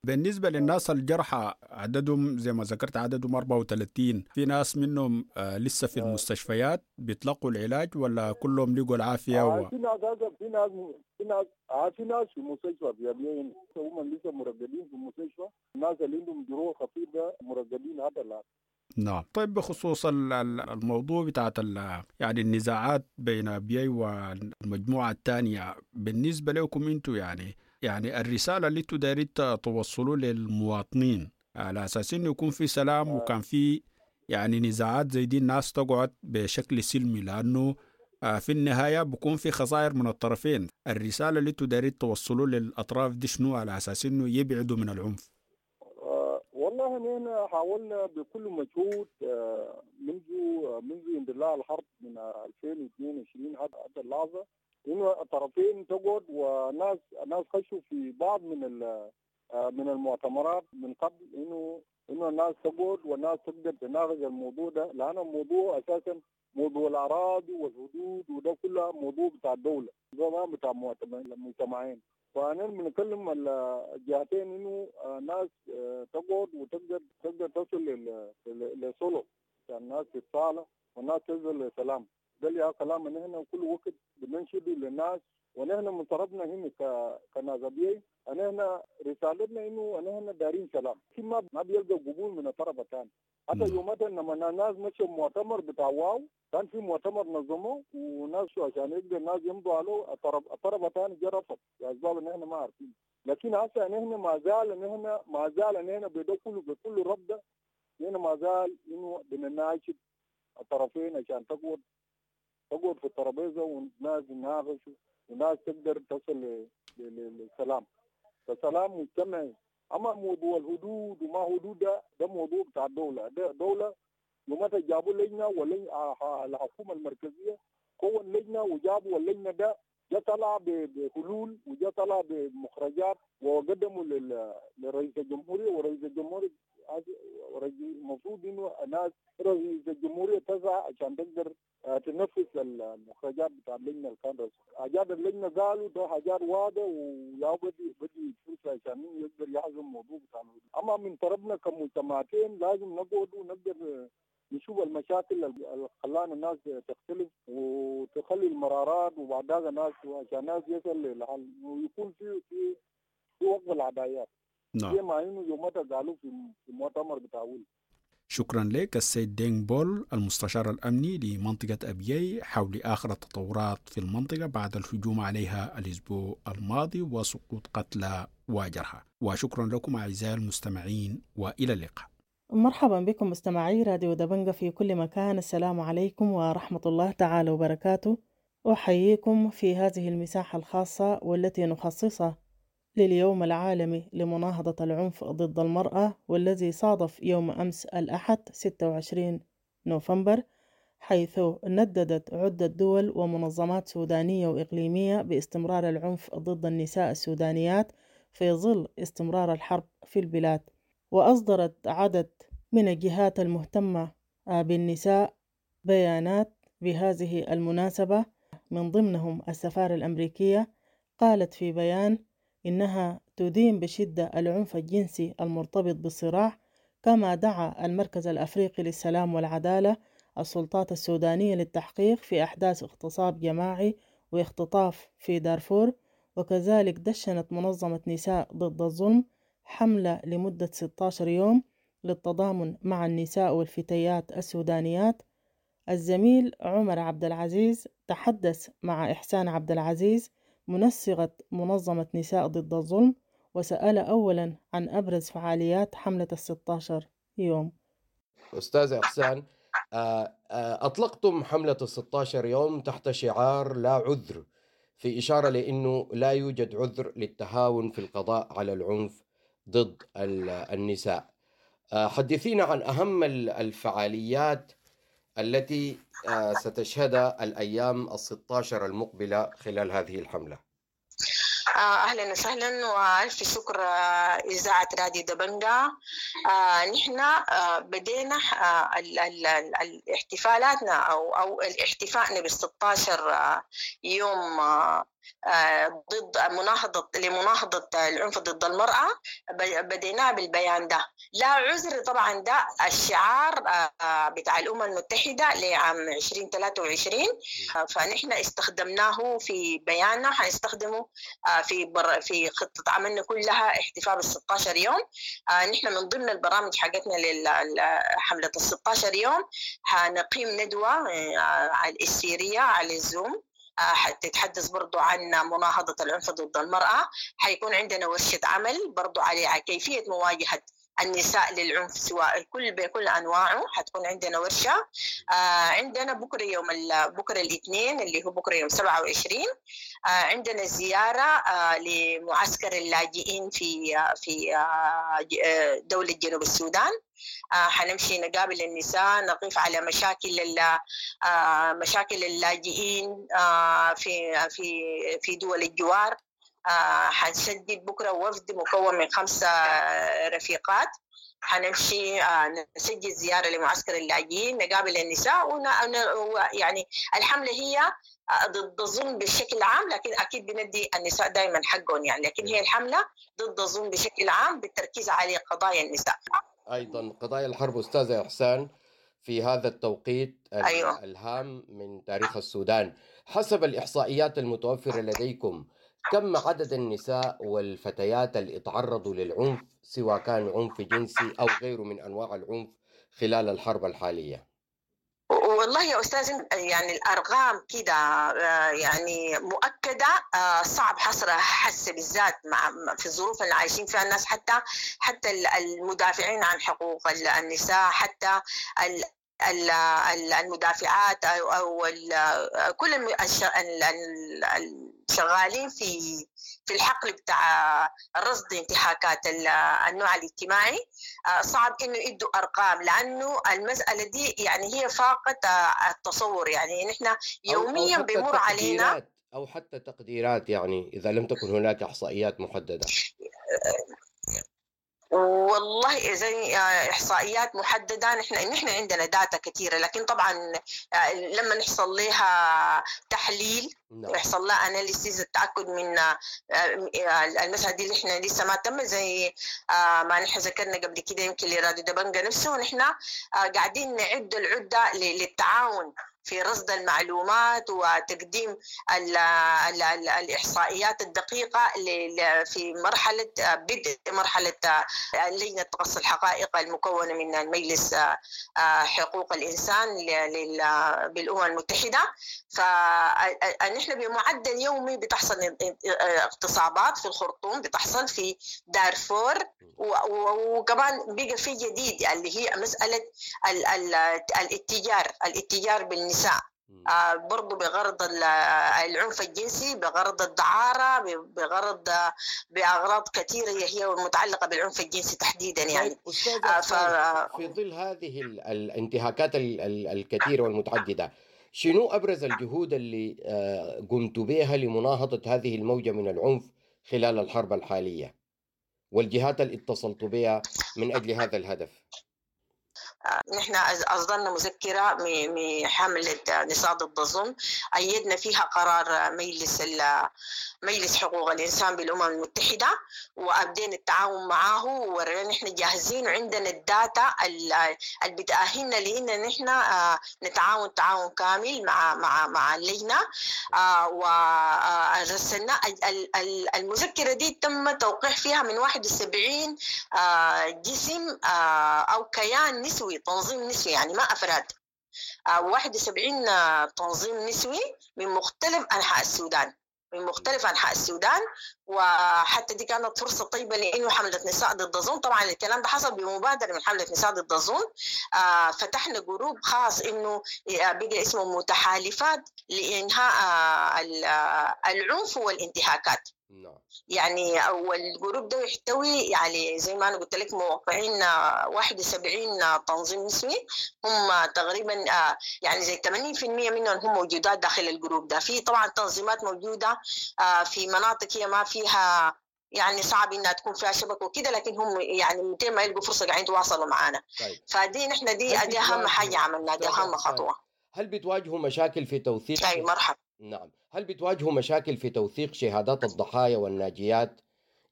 بالنسبة للناس الجرحى عددهم زي ما ذكرت عددهم أربعة وثلاثين، في ناس منهم آه لسه في المستشفيات بيتلقوا العلاج ولا كلهم لقوا العافية؟ آه و... في ناس في ناس في ناس آه في ناس في المستشفى في أبيين هم لسه مرقدين في المستشفى، الناس اللي عندهم جروح خفيفة مرقدين حتى الآن. نعم. طيب بخصوص الموضوع بتاعت يعني النزاعات بين أبيي والمجموعة الثانية، بالنسبة لكم انتم يعني يعني الرسالة اللي انتوا دايرين توصلوا للمواطنين على أساس إنه يكون في سلام وكان في يعني نزاعات زي دي الناس تقعد بشكل سلمي، لأنه في النهاية بكون في خسائر من الطرفين، الرسالة اللي انتوا دايرين توصلوا للأطراف دي شنو على أساس إنه يبعدوا من العنف؟ والله نحن حاولنا بكل مجهود منذ منذ اندلاع الحرب من ألفين واثنين وعشرين حتى اللحظة انه الطرفين تقعد، وناس ناس خشوا في بعض من من المؤتمرات من قبل انه انه الناس تقعد والناس تقدر تناقش الموضوع ده، لان الموضوع اساسا موضوع الاراضي والحدود وده كله موضوع بتاع الدوله، ده ما بتاع المجتمعين. فانا بنكلم الجهتين انه ناس تقعد وتقدر تقدر تصل لصلح، يعني الناس تتصالح والناس تصل لسلام. ده اللي كلام نحن كل وقت بننشده للناس، ونحن من طرفنا هنا كناس أبيي نحن رسالتنا انه نحن دارين سلام، ما ما بيلقى قبول من الطرف الثاني. حتى يومتها لما الناس مشوا مؤتمر بتاع واو، كان في مؤتمر نظموه وناس عشان يقدر الناس يمضوا عليه، الطرف الطرف الثاني جا رفض لاسباب ان احنا ما عارفين. لكن هسه نحن ما زال نحن ما زال نحن بده كله بكل رفضه، نحن ما زال انه بنناشد الطرفين عشان تقعد تقعد في الترابيزه والناس يناقشوا والناس تقدر تصل للسلام، فسلام مجتمعي. اما موضوع الحدود وما حدود ده, ده موضوع بتاع الدوله، ده دوله يومتها جابوا لجنه والحكومه المركزيه كون لجنه وجابوا اللجنه ده جا طلع بحلول وجا طلع بمخرجات وقدموا لرئيس الجمهوريه، ورئيس الجمهوريه المفروض انه الناس رئيس الجمهوريه تسعى عشان تقدر تنفذ المخرجات بتاع اللجنه اللي كان حاجات اللجنه قالوا ده حاجات واضحه ويا بدي بدي فرصه عشان يقدر يحزم الموضوع بتاع. اما من طرفنا كمجتمعتين لازم نقعد ونقدر نشوف المشاكل اللي خلانا الناس تختلف وتخلي المرارات وبعدها الناس عشان الناس يصل للحل ويكون في في في وقف العدايات. نعم. زي ما انه يومتها قالوا في في المؤتمر بتاع ول. شكرا لك السيد دينغ بول المستشار الأمني لمنطقة أبيي حول آخر التطورات في المنطقة بعد الهجوم عليها الأسبوع الماضي وسقوط قتلى وجرحى. وشكرا لكم أعزائي المستمعين وإلى اللقاء. مرحبا بكم مستمعي راديو دبنجة في كل مكان، السلام عليكم ورحمة الله تعالى وبركاته. أحييكم في هذه المساحة الخاصة والتي نخصصها لليوم العالمي لمناهضة العنف ضد المرأة، والذي صادف يوم أمس الأحد ستة وعشرين نوفمبر، حيث نددت عدة دول ومنظمات سودانية وإقليمية باستمرار العنف ضد النساء السودانيات في ظل استمرار الحرب في البلاد. وأصدرت عدد من الجهات المهتمة بالنساء بيانات بهذه المناسبة، من ضمنهم السفارة الأمريكية قالت في بيان إنها تدين بشدة العنف الجنسي المرتبط بالصراع، كما دعا المركز الأفريقي للسلام والعدالة السلطات السودانية للتحقيق في أحداث اغتصاب جماعي واختطاف في دارفور. وكذلك دشنت منظمة نساء ضد الظلم حملة لمدة ستة عشر يوم للتضامن مع النساء والفتيات السودانيات. الزميل عمر عبد العزيز تحدث مع إحسان عبد العزيز منسقة منظمة نساء ضد الظلم، وسأل أولا عن أبرز فعاليات حملة الستة عشر يوم. أستاذ إحسان، أطلقتم حملة الستة عشر يوم تحت شعار لا عذر، في إشارة لأنه لا يوجد عذر للتهاون في القضاء على العنف ضد النساء. حدثينا عن أهم الفعاليات التي ستشهدها الأيام الستة عشر المقبلة خلال هذه الحملة. أهلا وسهلا وألف شكر إذاعة راديو دبنجا. نحن بدينا احتفالاتنا أو أو احتفائنا بالستة عشر يوم ضد مناهضة لمناهضة العنف ضد المرأة، بديناه بالبيان ده لا عذر. طبعا ده الشعار بتاع الأمم المتحدة لعام عشرين ثلاثة وعشرين، فنحن استخدمناه في بياننا، حنستخدمه في بر في خطة عملنا كلها احتفال بالستة عشر يوم. نحن من ضمن البرامج حقتنا لحملة الستة عشر يوم حنقيم ندوة السيرية على الزوم حتتحدث برضو عن مناهضة العنف ضد المرأة. حيكون عندنا ورشة عمل برضو على كيفية مواجهة النساء للعنف سواء كل بكل أنواعه، حتكون عندنا ورشة. عندنا بكرة يوم بكرة الاثنين اللي هو بكرة يوم سبعة وعشرين عندنا زيارة لمعسكر اللاجئين في في دولة جنوب السودان. حنمشي نقابل النساء، نقف على مشاكل مشاكل اللاجئين في في في دول الجوار. حنشدد بكرة وفد مكون من خمسة رفيقات، حنمشي نسجل زيارة لمعسكر اللاجئين، نقابل النساء ون... يعني الحملة هي ضد الظلم بشكل عام، لكن أكيد بندي النساء دائما حقهم يعني، لكن هي الحملة ضد الظلم بشكل عام بالتركيز على قضايا النساء. أيضا قضايا الحرب أستاذة إحسان في هذا التوقيت أيوة. الهام من تاريخ السودان، حسب الإحصائيات المتوفرة لديكم كم عدد النساء والفتيات اللي تعرضوا للعنف سواء كان عنف جنسي أو غيره من أنواع العنف خلال الحرب الحالية؟ والله يا أستاذ يعني الأرقام كده يعني مؤكدة صعب حصرها حس بالذات مع في الظروف اللي عايشين فيها الناس، حتى حتى المدافعين عن حقوق النساء، حتى المدافعات أو أو كل الشغالين في في الحقل بتاع رصد انتهاكات النوع الاجتماعي، صعب انه يدوا ارقام لانه المساله دي يعني هي فاقت التصور. يعني نحن يوميا بيمر علينا او حتى تقديرات، يعني اذا لم تكن هناك احصائيات محدده. والله زي إحصائيات محددة نحن نحن عندنا data كثيرة، لكن طبعا لما نحصل لها تحليل ويحصل لها analysis التأكد من المسألة دي اللي احنا لسه ما تم، زي ما نحن ذكرنا قبل كده يمكن لراديو دبنجا نفسه، نحن قاعدين نعد العدة للتعاون في رصد المعلومات وتقديم ال ال ال الإحصائيات الدقيقة في مرحلة بدء مرحلة لجنة تقصي الحقائق المكونة من المجلس حقوق الإنسان بالأمم المتحدة. فنحن بمعدل يومي بتحصل اغتصابات في الخرطوم، بتحصل في دارفور، وكمان بقى في جديد اللي هي مسألة الاتجار الاتجار بالنساء. آه برضو بغرض العنف الجنسي، بغرض الدعارة، بغرض بأغراض كثيرة هي متعلقة بالعنف الجنسي تحديدا يعني. طيب أستاذ آه ف... في ظل هذه الانتهاكات الكثيرة والمتعددة، شنو أبرز الجهود اللي قمت بها لمناهضة هذه الموجة من العنف خلال الحرب الحالية والجهات اللي اتصلت بها من أجل هذا الهدف؟ نحن أصدرنا مذكرة من حملة نساء ضد الظلم، أيدنا فيها قرار مجلس مجلس حقوق الإنسان بالأمم المتحدة، وأبدينا التعاون معه، ورينا نحن جاهزين وعندنا الداتا اللي بتأهلنا لأن نحن نتعاون تعاون كامل مع مع مع اللجنة. ورسلنا المذكرة دي تم توقيع فيها من واحد وسبعين جسم أو كيان نسوي، تنظيم نسوي يعني ما أفراد، واحد وسبعين تنظيم نسوي من مختلف أنحاء السودان، من مختلف أنحاء السودان. وحتى دي كانت فرصة طيبة لأنه حملة نساء ضد الظلم، طبعا الكلام ده حصل بمبادرة من حملة نساء ضد الظلم. آه فتحنا group خاص إنه بقى اسمه متحالفات لإنهاء العنف والانتهاكات. يعني وال group ده يحتوي يعني زي ما أنا قلت لك موقعين واحد وسبعين تنظيم نسوي، هم تقريبا يعني زي ثمانين بالمئة منهم هم موجودات داخل ال group ده. في طبعا تنظيمات موجودة في مناطق هي ما فيها يعني صعب انها تكون فيها شبكة وكده، لكن هم يعني متى ما يلقوا فرصة قاعدين يتواصلوا معانا. طيب. فدي نحن دي دي اهم حاجة عملناها، دي اهم خطوة. هل بتواجهوا مشاكل في توثيق؟ اي مرحبا. نعم، هل بتواجهوا مشاكل في توثيق شهادات الضحايا والناجيات؟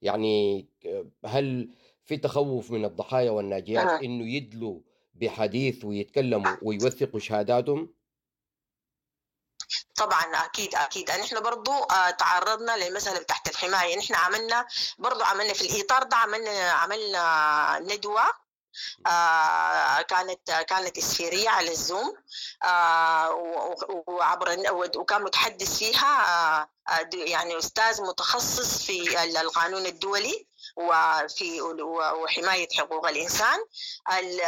يعني هل في تخوف من الضحايا والناجيات أه. انه يدلوا بحديث ويتكلموا ويوثقوا شهاداتهم؟ طبعا اكيد اكيد. نحن برضو تعرضنا للمسالة تحت الحماية. نحن عملنا برضو عملنا في الاطار ده عملنا عملنا ندوه آه كانت كانت اسفيريه على الزوم، آه وعبر وكان متحدث فيها آه يعني استاذ متخصص في القانون الدولي وفي وحماية حقوق الانسان.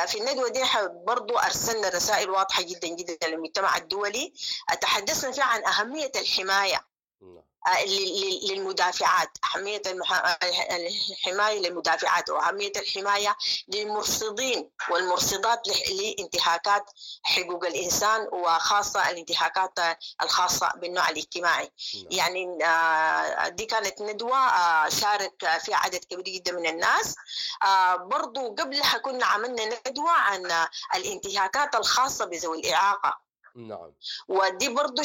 في الندوة دي برضو ارسلنا رسائل واضحة جدا جدا للمجتمع الدولي، تحدثنا فيها عن اهمية الحماية للمدافعات، أهمية الحماية للمدافعات وأهمية الحماية للمرصدين والمرصدات لانتهاكات حقوق الإنسان، وخاصة الانتهاكات الخاصة بالنوع الاجتماعي. يعني دي كانت ندوة شارك فيها عدد كبير جدا من الناس. برضو قبلها كنا عملنا ندوة عن الانتهاكات الخاصة بذوي الإعاقة. نعم. ودي برضو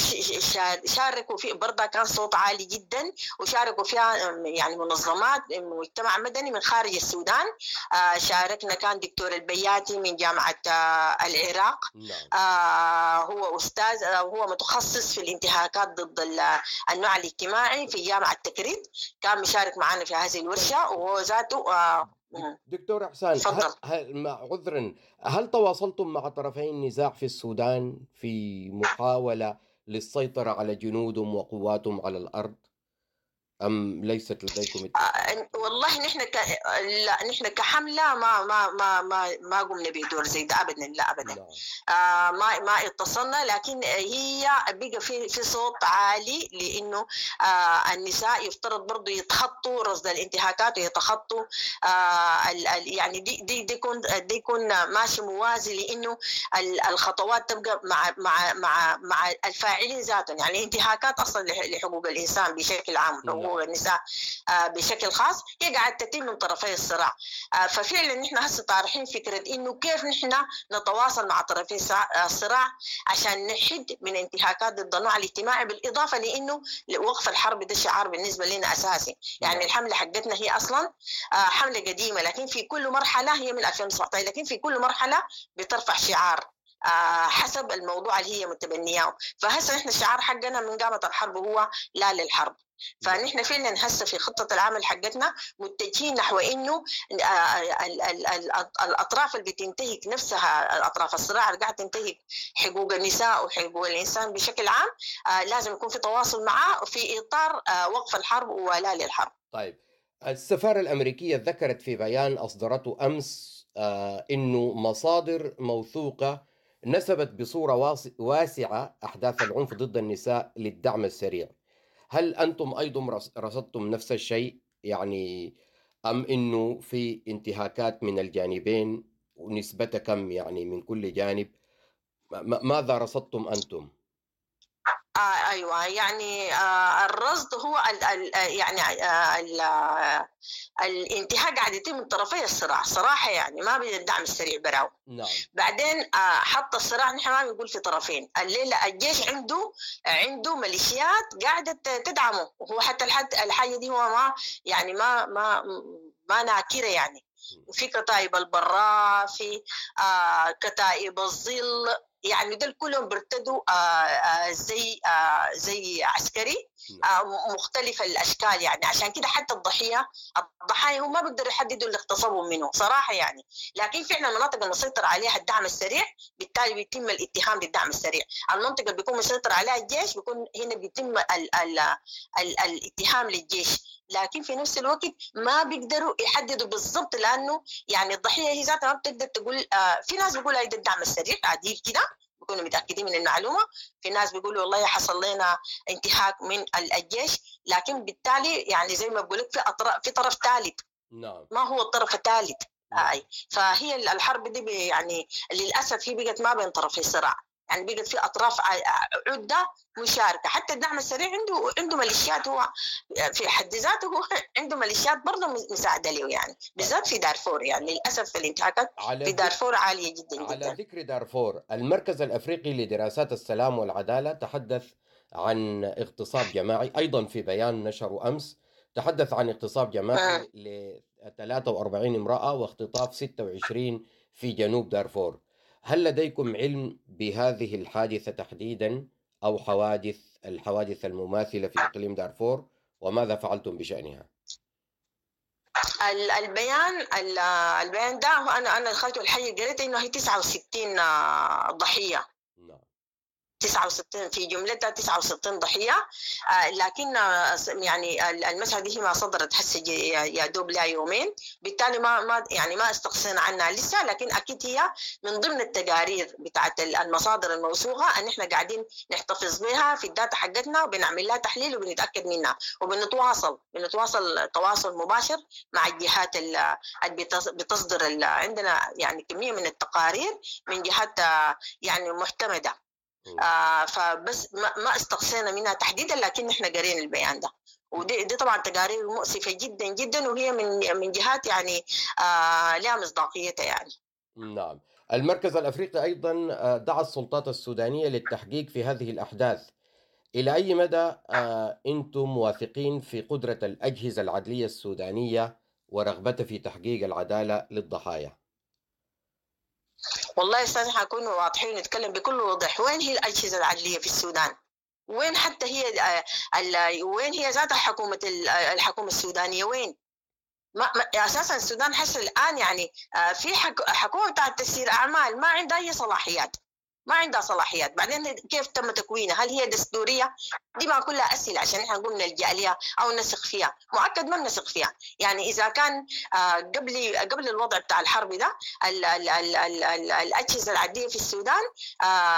شاركوا في برضه كان صوت عالي جدا، وشاركوا فيها يعني منظمات مجتمع مدني من خارج السودان. شاركنا كان دكتور البياتي من جامعة العراق. نعم. هو أستاذ، هو متخصص في الانتهاكات ضد النوع الاجتماعي في جامعة تكريت، كان مشارك معنا في هذه الورشة وهو ذاته. دكتور إحسان، هل هل عذرا، هل تواصلتم مع طرفي النزاع في السودان في محاولة للسيطرة على جنودهم وقواتهم على الأرض أم ليست لديكم؟ آه والله نحن ك... لا نحن كحملة ما ما ما ما ما قمنا بدور زي ده أبدا، لا أبدا. لا. آه ما ما اتصلنا، لكن هي بقى في في صوت عالي لأنه آه النساء يفترض برضو يتخطوا رصد الانتهاكات ويتخطوا آه ال ال يعني دي دي دي يكون دي يكون ماشي موازي، لأنه الخطوات تبقى مع مع مع مع الفاعلين ذاتهم. يعني الانتهاكات أصلا لحقوق الإنسان بشكل عام، حقوق النساء بشكل خاص، هي قاعدة تتم من طرفي الصراع. ففعلا نحن هسه طارحين فكرة انه كيف نحن نتواصل مع طرفي الصراع عشان نحد من انتهاكات ضد النوع الاجتماعي، بالاضافة لانه وقف الحرب ده شعار بالنسبة لنا اساسي. يعني الحملة حقتنا هي اصلا حملة قديمة، لكن في كل مرحلة هي من ألفين وتسعة عشر، لكن في كل مرحلة بترفع شعار حسب الموضوع اللي هي متبنياه. فهسه نحن الشعار حقنا من قامت الحرب هو لا للحرب. فنحن فعلا هسه في خطة العمل حقتنا متجهين نحو انه الاطراف اللي بتنتهك نفسها، الاطراف الصراع اللي قاعدة تنتهك حقوق النساء وحقوق الانسان بشكل عام، لازم يكون في تواصل معاه في اطار وقف الحرب ولا للحرب. طيب، السفارة الأمريكية ذكرت في بيان أصدرته أمس آه إنه مصادر موثوقة نسبت بصورة واسعة أحداث العنف ضد النساء للدعم السريع. هل أنتم أيضا رصدتم نفس الشيء يعني، أم إنه في انتهاكات من الجانبين ونسبتها كم يعني من كل جانب؟ ماذا رصدتم أنتم؟ آه أيوة، يعني آه الرصد هو ال ال يعني آه ال الانتهاك قاعد يتم من طرفي الصراع صراحة، يعني ما بين الدعم السريع براو. نعم. بعدين آه حتى الصراع نحن ما بنقول في طرفين، الليلة الجيش عنده عنده ميليشيات قاعدة تدعمه، وهو حتى الحد الحاجة دي هو ما يعني ما ما ما ناكرة يعني. في كتائب البراء، في آه كتائب الظل، يعني دول كلهم بيرتدوا زي زي عسكري مختلف الاشكال يعني. عشان كده حتى الضحية الضحايا هم ما بيقدروا يحددوا اللي اغتصبوا منه صراحة يعني، لكن فعلا المناطق المسيطر عليها الدعم السريع بالتالي بيتم الاتهام بالدعم السريع. المنطقة اللي بيكون مسيطر عليها الجيش بيكون هنا بيتم ال ال ال الاتهام للجيش، لكن في نفس الوقت ما بيقدروا يحددوا بالضبط، لانه يعني الضحية هي ذاتها ما بتقدر تقول. آه في ناس بيقولوا هيدا الدعم السريع عديل كده، بيكونوا متاكدين من المعلومة، في ناس بيقولوا والله حصل لنا انتهاك من الجيش، لكن بالتالي يعني زي ما بقول لك في اطراف، في طرف ثالث. نعم. ما هو الطرف الثالث؟ آه. فهي الحرب دي يعني للاسف هي بقت ما بين طرفي صراع، يعني بقت في اطراف عده مشاركة. حتى الدعم السريع عنده عنده ميليشيات، هو في حد ذاته هو عنده ميليشيات برضه مساعدة له يعني، بالذات في دارفور. يعني للاسف الانتهاكات في دارفور عالية جدا على جدا. على ذكر دارفور، المركز الافريقي لدراسات السلام والعدالة تحدث عن اغتصاب جماعي ايضا في بيان نشره امس، تحدث عن اغتصاب جماعي ل ثلاثة وأربعين امراة واختطاف ستة وعشرين في جنوب دارفور. هل لديكم علم بهذه الحادثة تحديدا أو حوادث الحوادث المماثلة في إقليم دارفور، وماذا فعلتم بشأنها؟ البيان البيان ده أنا أنا دخلت الحي قريت إنه هي تسعة وستين ضحية. نعم. تسعة وستين في جملتها تسعة وستين ضحية، لكن يعني المسألة دي ما صدرت هسه يا دوب لها يومين، بالتالي ما ما يعني ما استقصينا عنها لسه، لكن اكيد هي من ضمن التقارير بتاعت المصادر الموثوقة ان احنا قاعدين نحتفظ بها في ال data حقتنا، وبنعمل لها تحليل وبنتاكد منها، وبنتواصل بنتواصل تواصل مباشر مع الجهات اللي بتصدر. عندنا يعني كمية من التقارير من جهات يعني معتمدة، آه فبس ما, ما استقصينا منها تحديدا، لكن احنا قرينا البيان ده، ودي دي طبعا تقارير مؤسفة جدا جدا، وهي من من جهات يعني آه لها مصداقيتها يعني. نعم. المركز الافريقي ايضا دعا السلطات السودانية للتحقيق في هذه الاحداث. الى اي مدى آه انتم واثقين في قدره الاجهزة العدليه السودانية ورغبتها في تحقيق العدالة للضحايا؟ والله يا استاذ حنكون واضحين ونتكلم بكل وضوح. وين هي الاجهزة العدليه في السودان؟ وين حتى هي ال وين هي ذات حكومة الحكومة السودانية؟ وين؟ ما اساسا السودان حس الان يعني في حكومة بتاعت تسيير اعمال ما عندها اي صلاحيات، ما عندها صلاحيات. بعدين كيف تم تكوينها؟ هل هي دستورية؟ دي ما كلها اسئلة عشان احنا نقول نلجا لها او نثق فيها، مؤكد ما بنثق فيها. يعني اذا كان قبل قبل الوضع بتاع الحرب ده ال ال ال ال ال الاجهزة العدليه في السودان،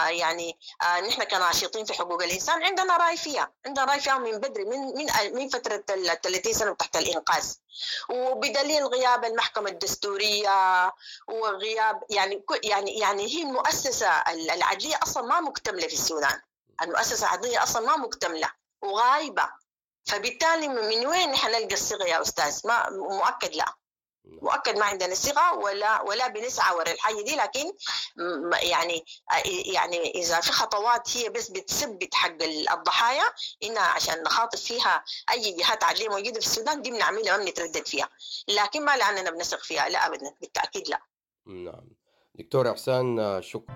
يعني نحن كناشطين في حقوق الانسان عندنا راي فيها، عندنا راي فيها من بدري، من من من فترة ال ثلاثين سنة تحت الانقاذ، وبدليل غياب المحكمة الدستورية وغياب يعني يعني يعني هي المؤسسة العدليه اصلا ما مكتملة في السودان، المؤسسة العدليه اصلا ما مكتملة وغايبه، فبالتالي من وين نحن نلقى الصيغة يا استاذ؟ ما مؤكد لا، مؤكد ما عندنا صيغة ولا ولا بنسعى ورا الحاجة دي، لكن يعني يعني اذا في خطوات هي بس بتثبت حق الضحايا انها عشان نخاطب فيها اي جهات عدليه موجودة في السودان دي بنعملها ما بنتردد فيها، لكن ما لاننا بنثق فيها لا ابدا، بالتاكيد لا. نعم دكتور احسان شكرا.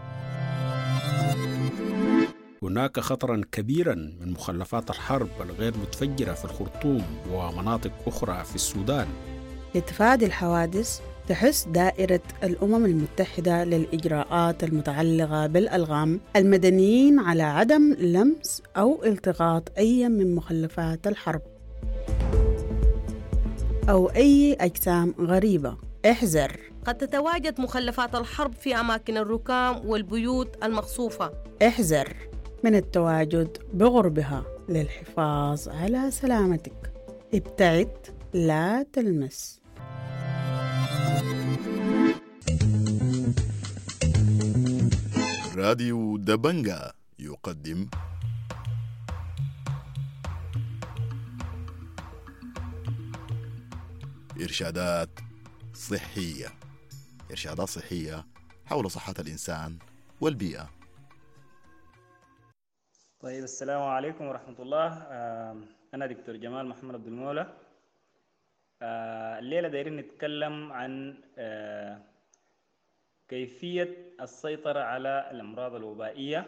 هناك خطرا كبيرا من مخلفات الحرب الغير متفجرة في الخرطوم ومناطق أخرى في السودان. لتفادي الحوادث تحث دائرة الأمم المتحدة للإجراءات المتعلقة بالألغام المدنيين على عدم لمس أو التقاط أي من مخلفات الحرب أو أي أجسام غريبة. احذر. قد تتواجد مخلفات الحرب في أماكن الركام والبيوت المقصوفة. احذر من التواجد بغربها للحفاظ على سلامتك. ابتعد، لا تلمس. راديو دبنجا يقدم إرشادات صحية. إرشادات صحية حول صحة الإنسان والبيئة. طيب، السلام عليكم ورحمة الله. أنا دكتور جمال محمد عبد المولى. الليلة دايرين نتكلم عن كيفية السيطرة على الأمراض الوبائية.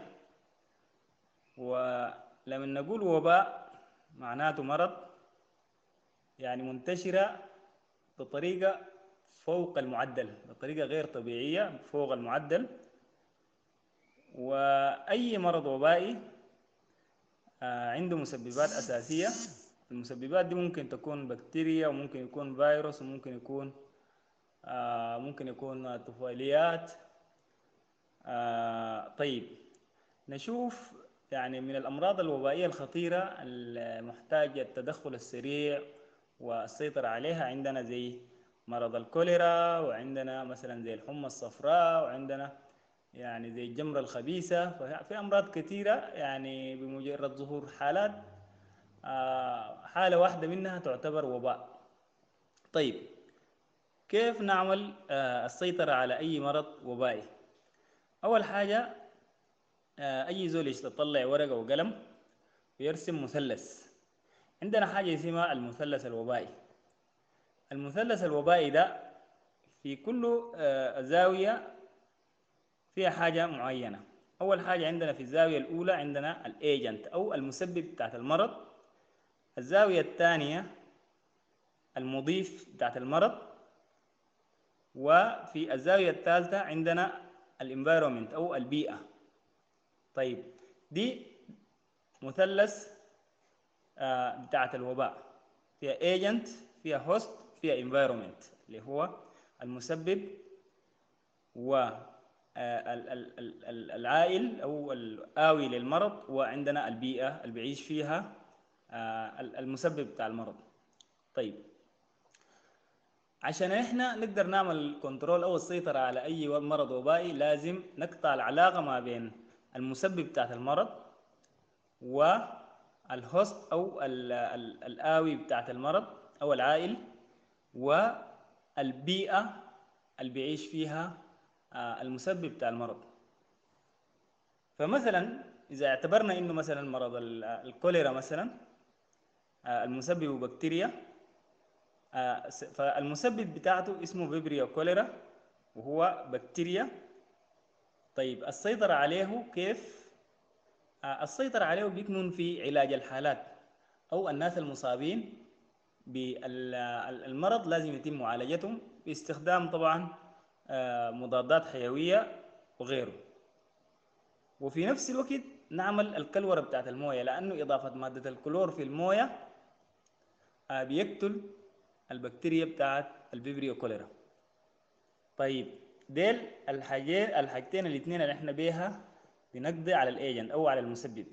ولما نقول وباء معناته مرض يعني منتشرة بطريقة فوق المعدل، بطريقة غير طبيعية فوق المعدل. وأي مرض وبائي عنده مسببات أساسية. المسببات دي ممكن تكون بكتيريا، وممكن يكون فيروس، وممكن يكون ممكن يكون طفيليات. طيب، نشوف يعني من الأمراض الوبائية الخطيرة المحتاجة التدخل السريع والسيطرة عليها عندنا زي مرض الكوليرا، وعندنا مثلا زي الحمى الصفراء، وعندنا يعني زي الجمرة الخبيثة. ففي أمراض كثيرة يعني بمجرد ظهور حالات حالة واحدة منها تعتبر وباء. طيب، كيف نعمل السيطرة على أي مرض وبائي؟ أول حاجة، أي زول يطلع ورقة وقلم ويرسم مثلث. عندنا حاجة اسمها المثلث الوبائي. المثلث الوبائي ده في كل زاوية فيها حاجة معينة. أول حاجة عندنا في الزاوية الأولى عندنا الايجنت أو المسبب بتاعت المرض. الزاوية الثانية المضيف بتاعت المرض. وفي الزاوية الثالثة عندنا ال environment أو البيئة. طيب، دي مثلث بتاعت الوباء، فيها agent، فيها host، فيها environment اللي هو المسبب و العائل أو الآوي للمرض، وعندنا البيئة اللي بيعيش فيها المسبب بتاع المرض. طيب، عشان احنا نقدر نعمل control او السيطرة على اي مرض وبائي لازم نقطع العلاقة ما بين المسبب بتاعت المرض وال host او الآوي بتاعت المرض او العائل والبيئة اللي بيعيش فيها المسبب بتاع المرض. فمثلا اذا اعتبرنا انه مثلا مرض الكوليرا مثلا المسبب بكتيريا، فالمسبب بتاعته اسمه Vibrio cholerae وهو بكتيريا. طيب، السيطرة عليه كيف؟ السيطرة عليه بيكمن في علاج الحالات أو الناس المصابين بالمرض، لازم يتم معالجتهم باستخدام طبعا مضادات حيوية وغيره. وفي نفس الوقت نعمل الكلورة بتاعت الموية، لأنه إضافة مادة الكلور في الموية بيقتل البكتيريا بتاعت ال Vibrio cholerae. طيب، ديل الحاجين الحاجتين الاثنين اللي احنا بيها بنقضي على ال agent او على المسبب.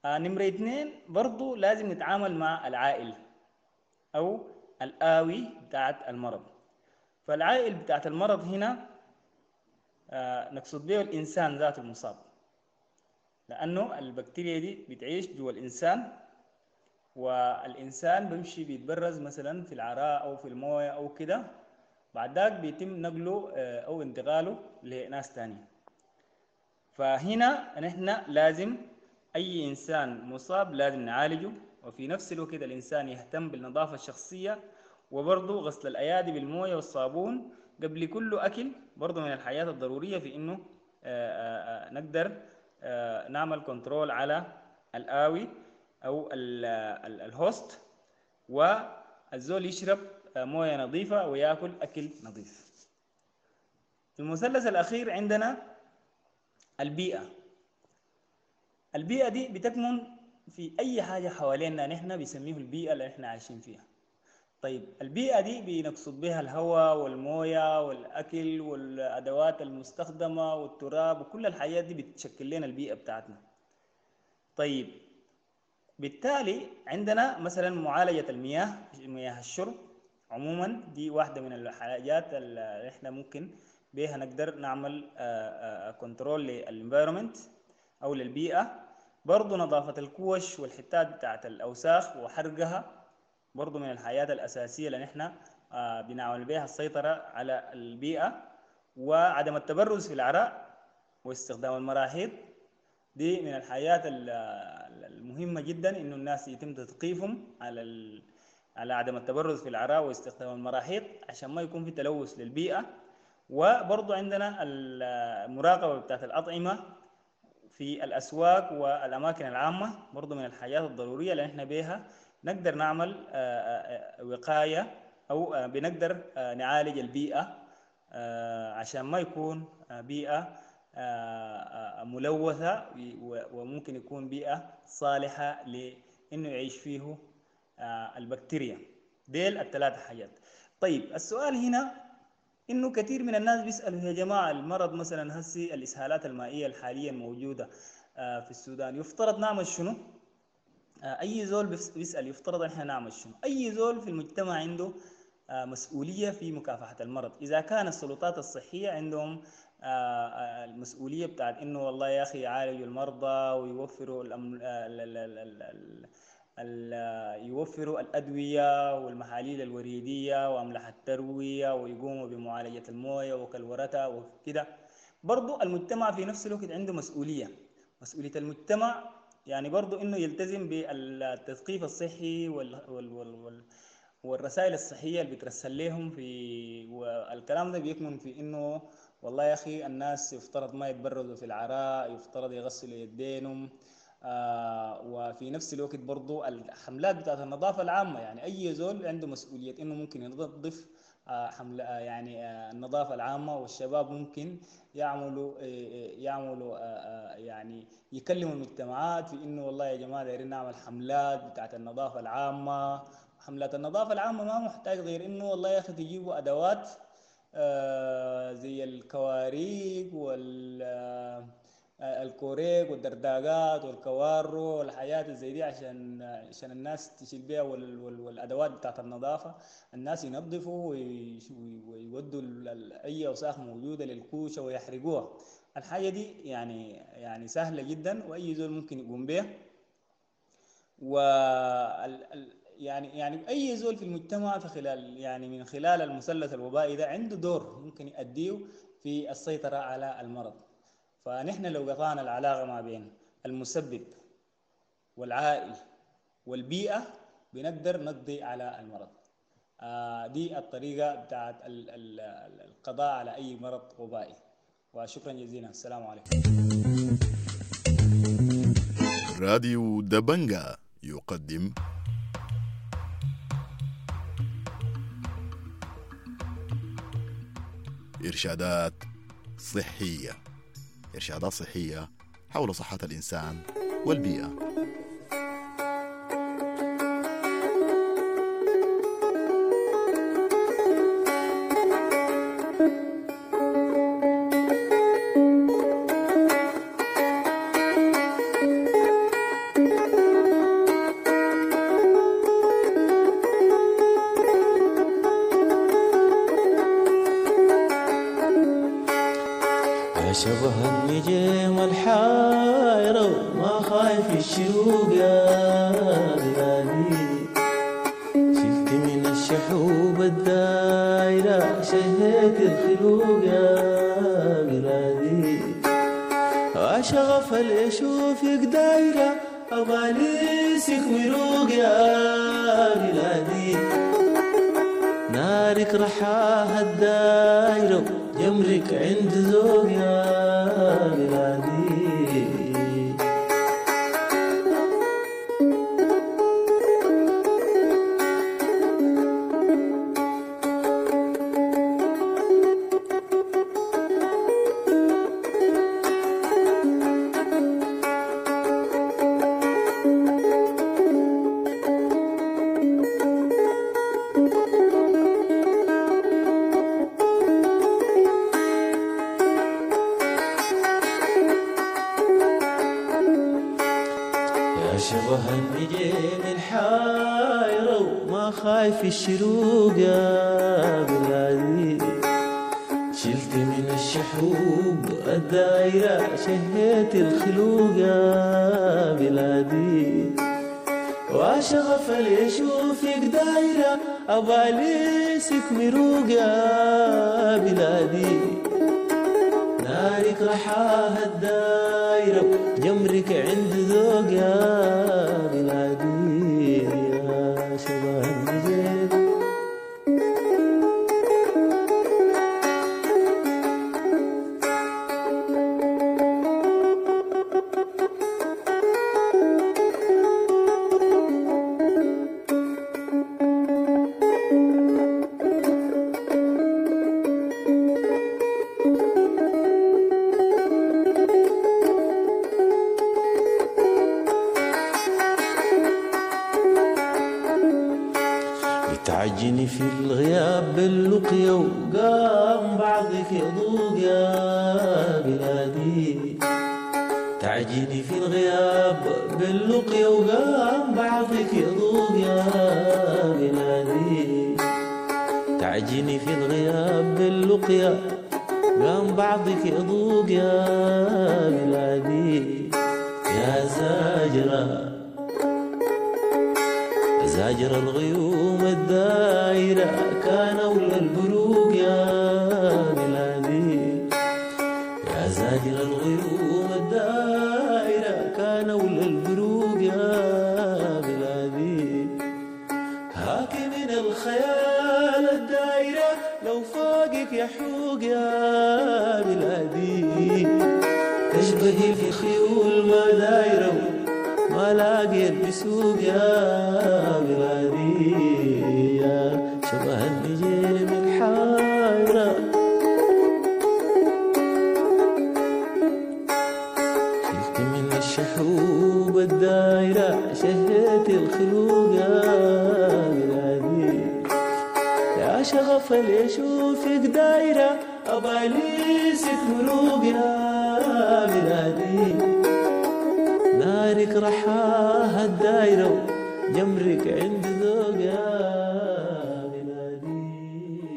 آه نمرة اثنين برضو لازم نتعامل مع العائل او الآوي بتاعت المرض. فالعائل بتاعت المرض هنا آه نقصد به الإنسان ذاته المصاب، لأنه البكتيريا دي بتعيش جوا الإنسان، والإنسان بيمشي بيتبرز مثلا في العراء أو في الموية أو كده، بعد ذاك بيتم نقله أو انتقاله لناس تانية. فهنا نحن لازم أي إنسان مصاب لازم نعالجه، وفي نفس الوقت الإنسان يهتم بالنظافة الشخصية، وبرضه غسل الأيادي بالموية والصابون قبل كل أكل، برضه من الحاجات الضرورية في إنه نقدر نعمل control على الآوي أو ال host، والزول يشرب موية نظيفة ويأكل أكل نظيف. المثلث الأخير عندنا البيئة. البيئة دي بتكمن في أي حاجة حوالينا نحن بيسميه البيئة اللي احنا عايشين فيها. طيب البيئة دي بنقصد بها الهواء والموية والأكل والأدوات المستخدمة والتراب وكل الحاجات دي بتشكل لنا البيئة بتاعتنا. طيب بالتالي عندنا مثلا معالجة المياه، مياه الشرب عموما دي واحدة من الحاجات اللي احنا ممكن بيها نقدر نعمل control لل environment او للبيئة. برضو نظافة الكوش والحتات بتاعت الأوساخ وحرقها برضو من الحاجات الأساسية اللي نحن بنعمل بها السيطرة على البيئة. وعدم التبرز في العراء واستخدام المراحيض دي من الحاجات المهمة جدا، إنه الناس يتم تثقيفهم على ال... على عدم التبرز في العراء واستخدام المراحيض عشان ما يكون في تلوث للبيئة. وبرضو عندنا المراقبة بتاعت الأطعمة في الأسواق والأماكن العامة برضو من الحاجات الضرورية اللي احنا بيها نقدر نعمل وقاية أو بنقدر نعالج البيئة عشان ما يكون بيئة ملوثة وممكن يكون بيئة صالحة لأنه يعيش فيه البكتيريا. ديل الثلاثة حاجات. طيب السؤال هنا إنه كثير من الناس بيسألوا يا جماعة المرض مثلا هسي الإسهالات المائية الحالية الموجودة في السودان يفترض نعمل شنو؟ أي زول بيسأل يفترض إحنا نعمل شنو؟ أي زول في المجتمع عنده مسؤولية في مكافحة المرض. إذا كان السلطات الصحية عندهم المسؤولية بتاعت إنه والله يا أخي يعالجوا المرضى ويوفروا الأم... ال... ال... ال... ال... ال... يوفروا الأدوية والمحاليل الوريدية وأملاح التروية ويقوموا بمعالجة الموية وكلورتها وكده، برضو المجتمع في نفس الوقت عنده مسؤولية. مسؤولية المجتمع يعني برضو إنه يلتزم بالتثقيف الصحي وال... وال... وال... وال... والرسائل الصحية اللي بترسل لهم في، والكلام ده بيكمن في إنه والله يا أخي الناس يفترض ما يتبرزوا في العراء، يفترض يغسلوا يدينهم، آه وفي نفس الوقت برضو الحملات بتاعت النظافة العامة، يعني أي زول عنده مسؤولية إنه ممكن ينظف آه حملة آه يعني آه النظافة العامة، والشباب ممكن يعملوا آه يعملوا آه يعني يكلموا المجتمعات في إنه والله يا جماعة دايرين نعمل حملات بتاعت النظافة العامة. حملات النظافة العامة ما محتاج غير إنه والله يا أخي تجيبوا أدوات آه زي الكواريك وال الكوريك والدرداقات والكوارو والحاجات زي دي عشان عشان الناس تشيل بيها، وال وال والادوات بتاعت النظافه الناس ينظفوا ويودوا اي اوساخ موجوده للكوشه ويحرقوها. الحاجه دي يعني يعني سهله جدا واي زول ممكن يقوم بها. و يعني يعني اي زول في المجتمع في خلال يعني من خلال المثلث الوبائي ده عنده دور ممكن يؤديه في السيطره على المرض. فنحن لو قطعنا العلاقة ما بين المسبب والعائل والبيئة بنقدر نقضي على المرض. آه دي الطريقة بتاعت القضاء على أي مرض وبائي. وشكرا جزيلا، السلام عليكم. راديو دبنجا يقدم إرشادات صحية. إرشادات صحية حول صحة الإنسان والبيئة. شبه النجيم الحايرة وما خايف الشروق يا بلادي، شلت من الشحوب الدايرة شهيت الخلوق يا بلادي، وشغف اللي يشوفك دايرة أباليسك مروق يا بلادي، نارك رحاها الدايرة جمرك عند ذوق يا بلادي. خايف الشروق يا بلادي. شلت من الشحوب الدايرة شهيت الخلوق يا بلادي. وشغف اللي يشوفك دايرة أباليسك مروق يا بلادي. نارك رحاها الدايرة جمرك عند ذوق يا بلادي. يا شباب النجيب تعجني في الغياب باللقيا وقام بعضك يضوق يا بلادي. تعجني في الغياب باللقيا وقام بعضك يضوق يا بلادي. تعجني في الغياب باللقيا قام بعضك يضوق يا بلادي. يا زاجرة زاجر الغيوم الدايرة كان أولى البروق يا بلادي. يا زاجر الغيوم الدايرة كان أولى البروق يا بلادي. هاك من الخيال الدايرة لو فاقك يحوق يا بلادي. تشبهي في خيول ما دايرة ما لاقيت بسوق يا بلادي. يا شبه النجيم الحايرة شلت من الشحوب الدايرة شهيت الخلوق يا بلادي. يا شغف اللي يشوفك دايرة أباليسك مروق يا بلادي. نارك رحاها الدايرة جمرك عند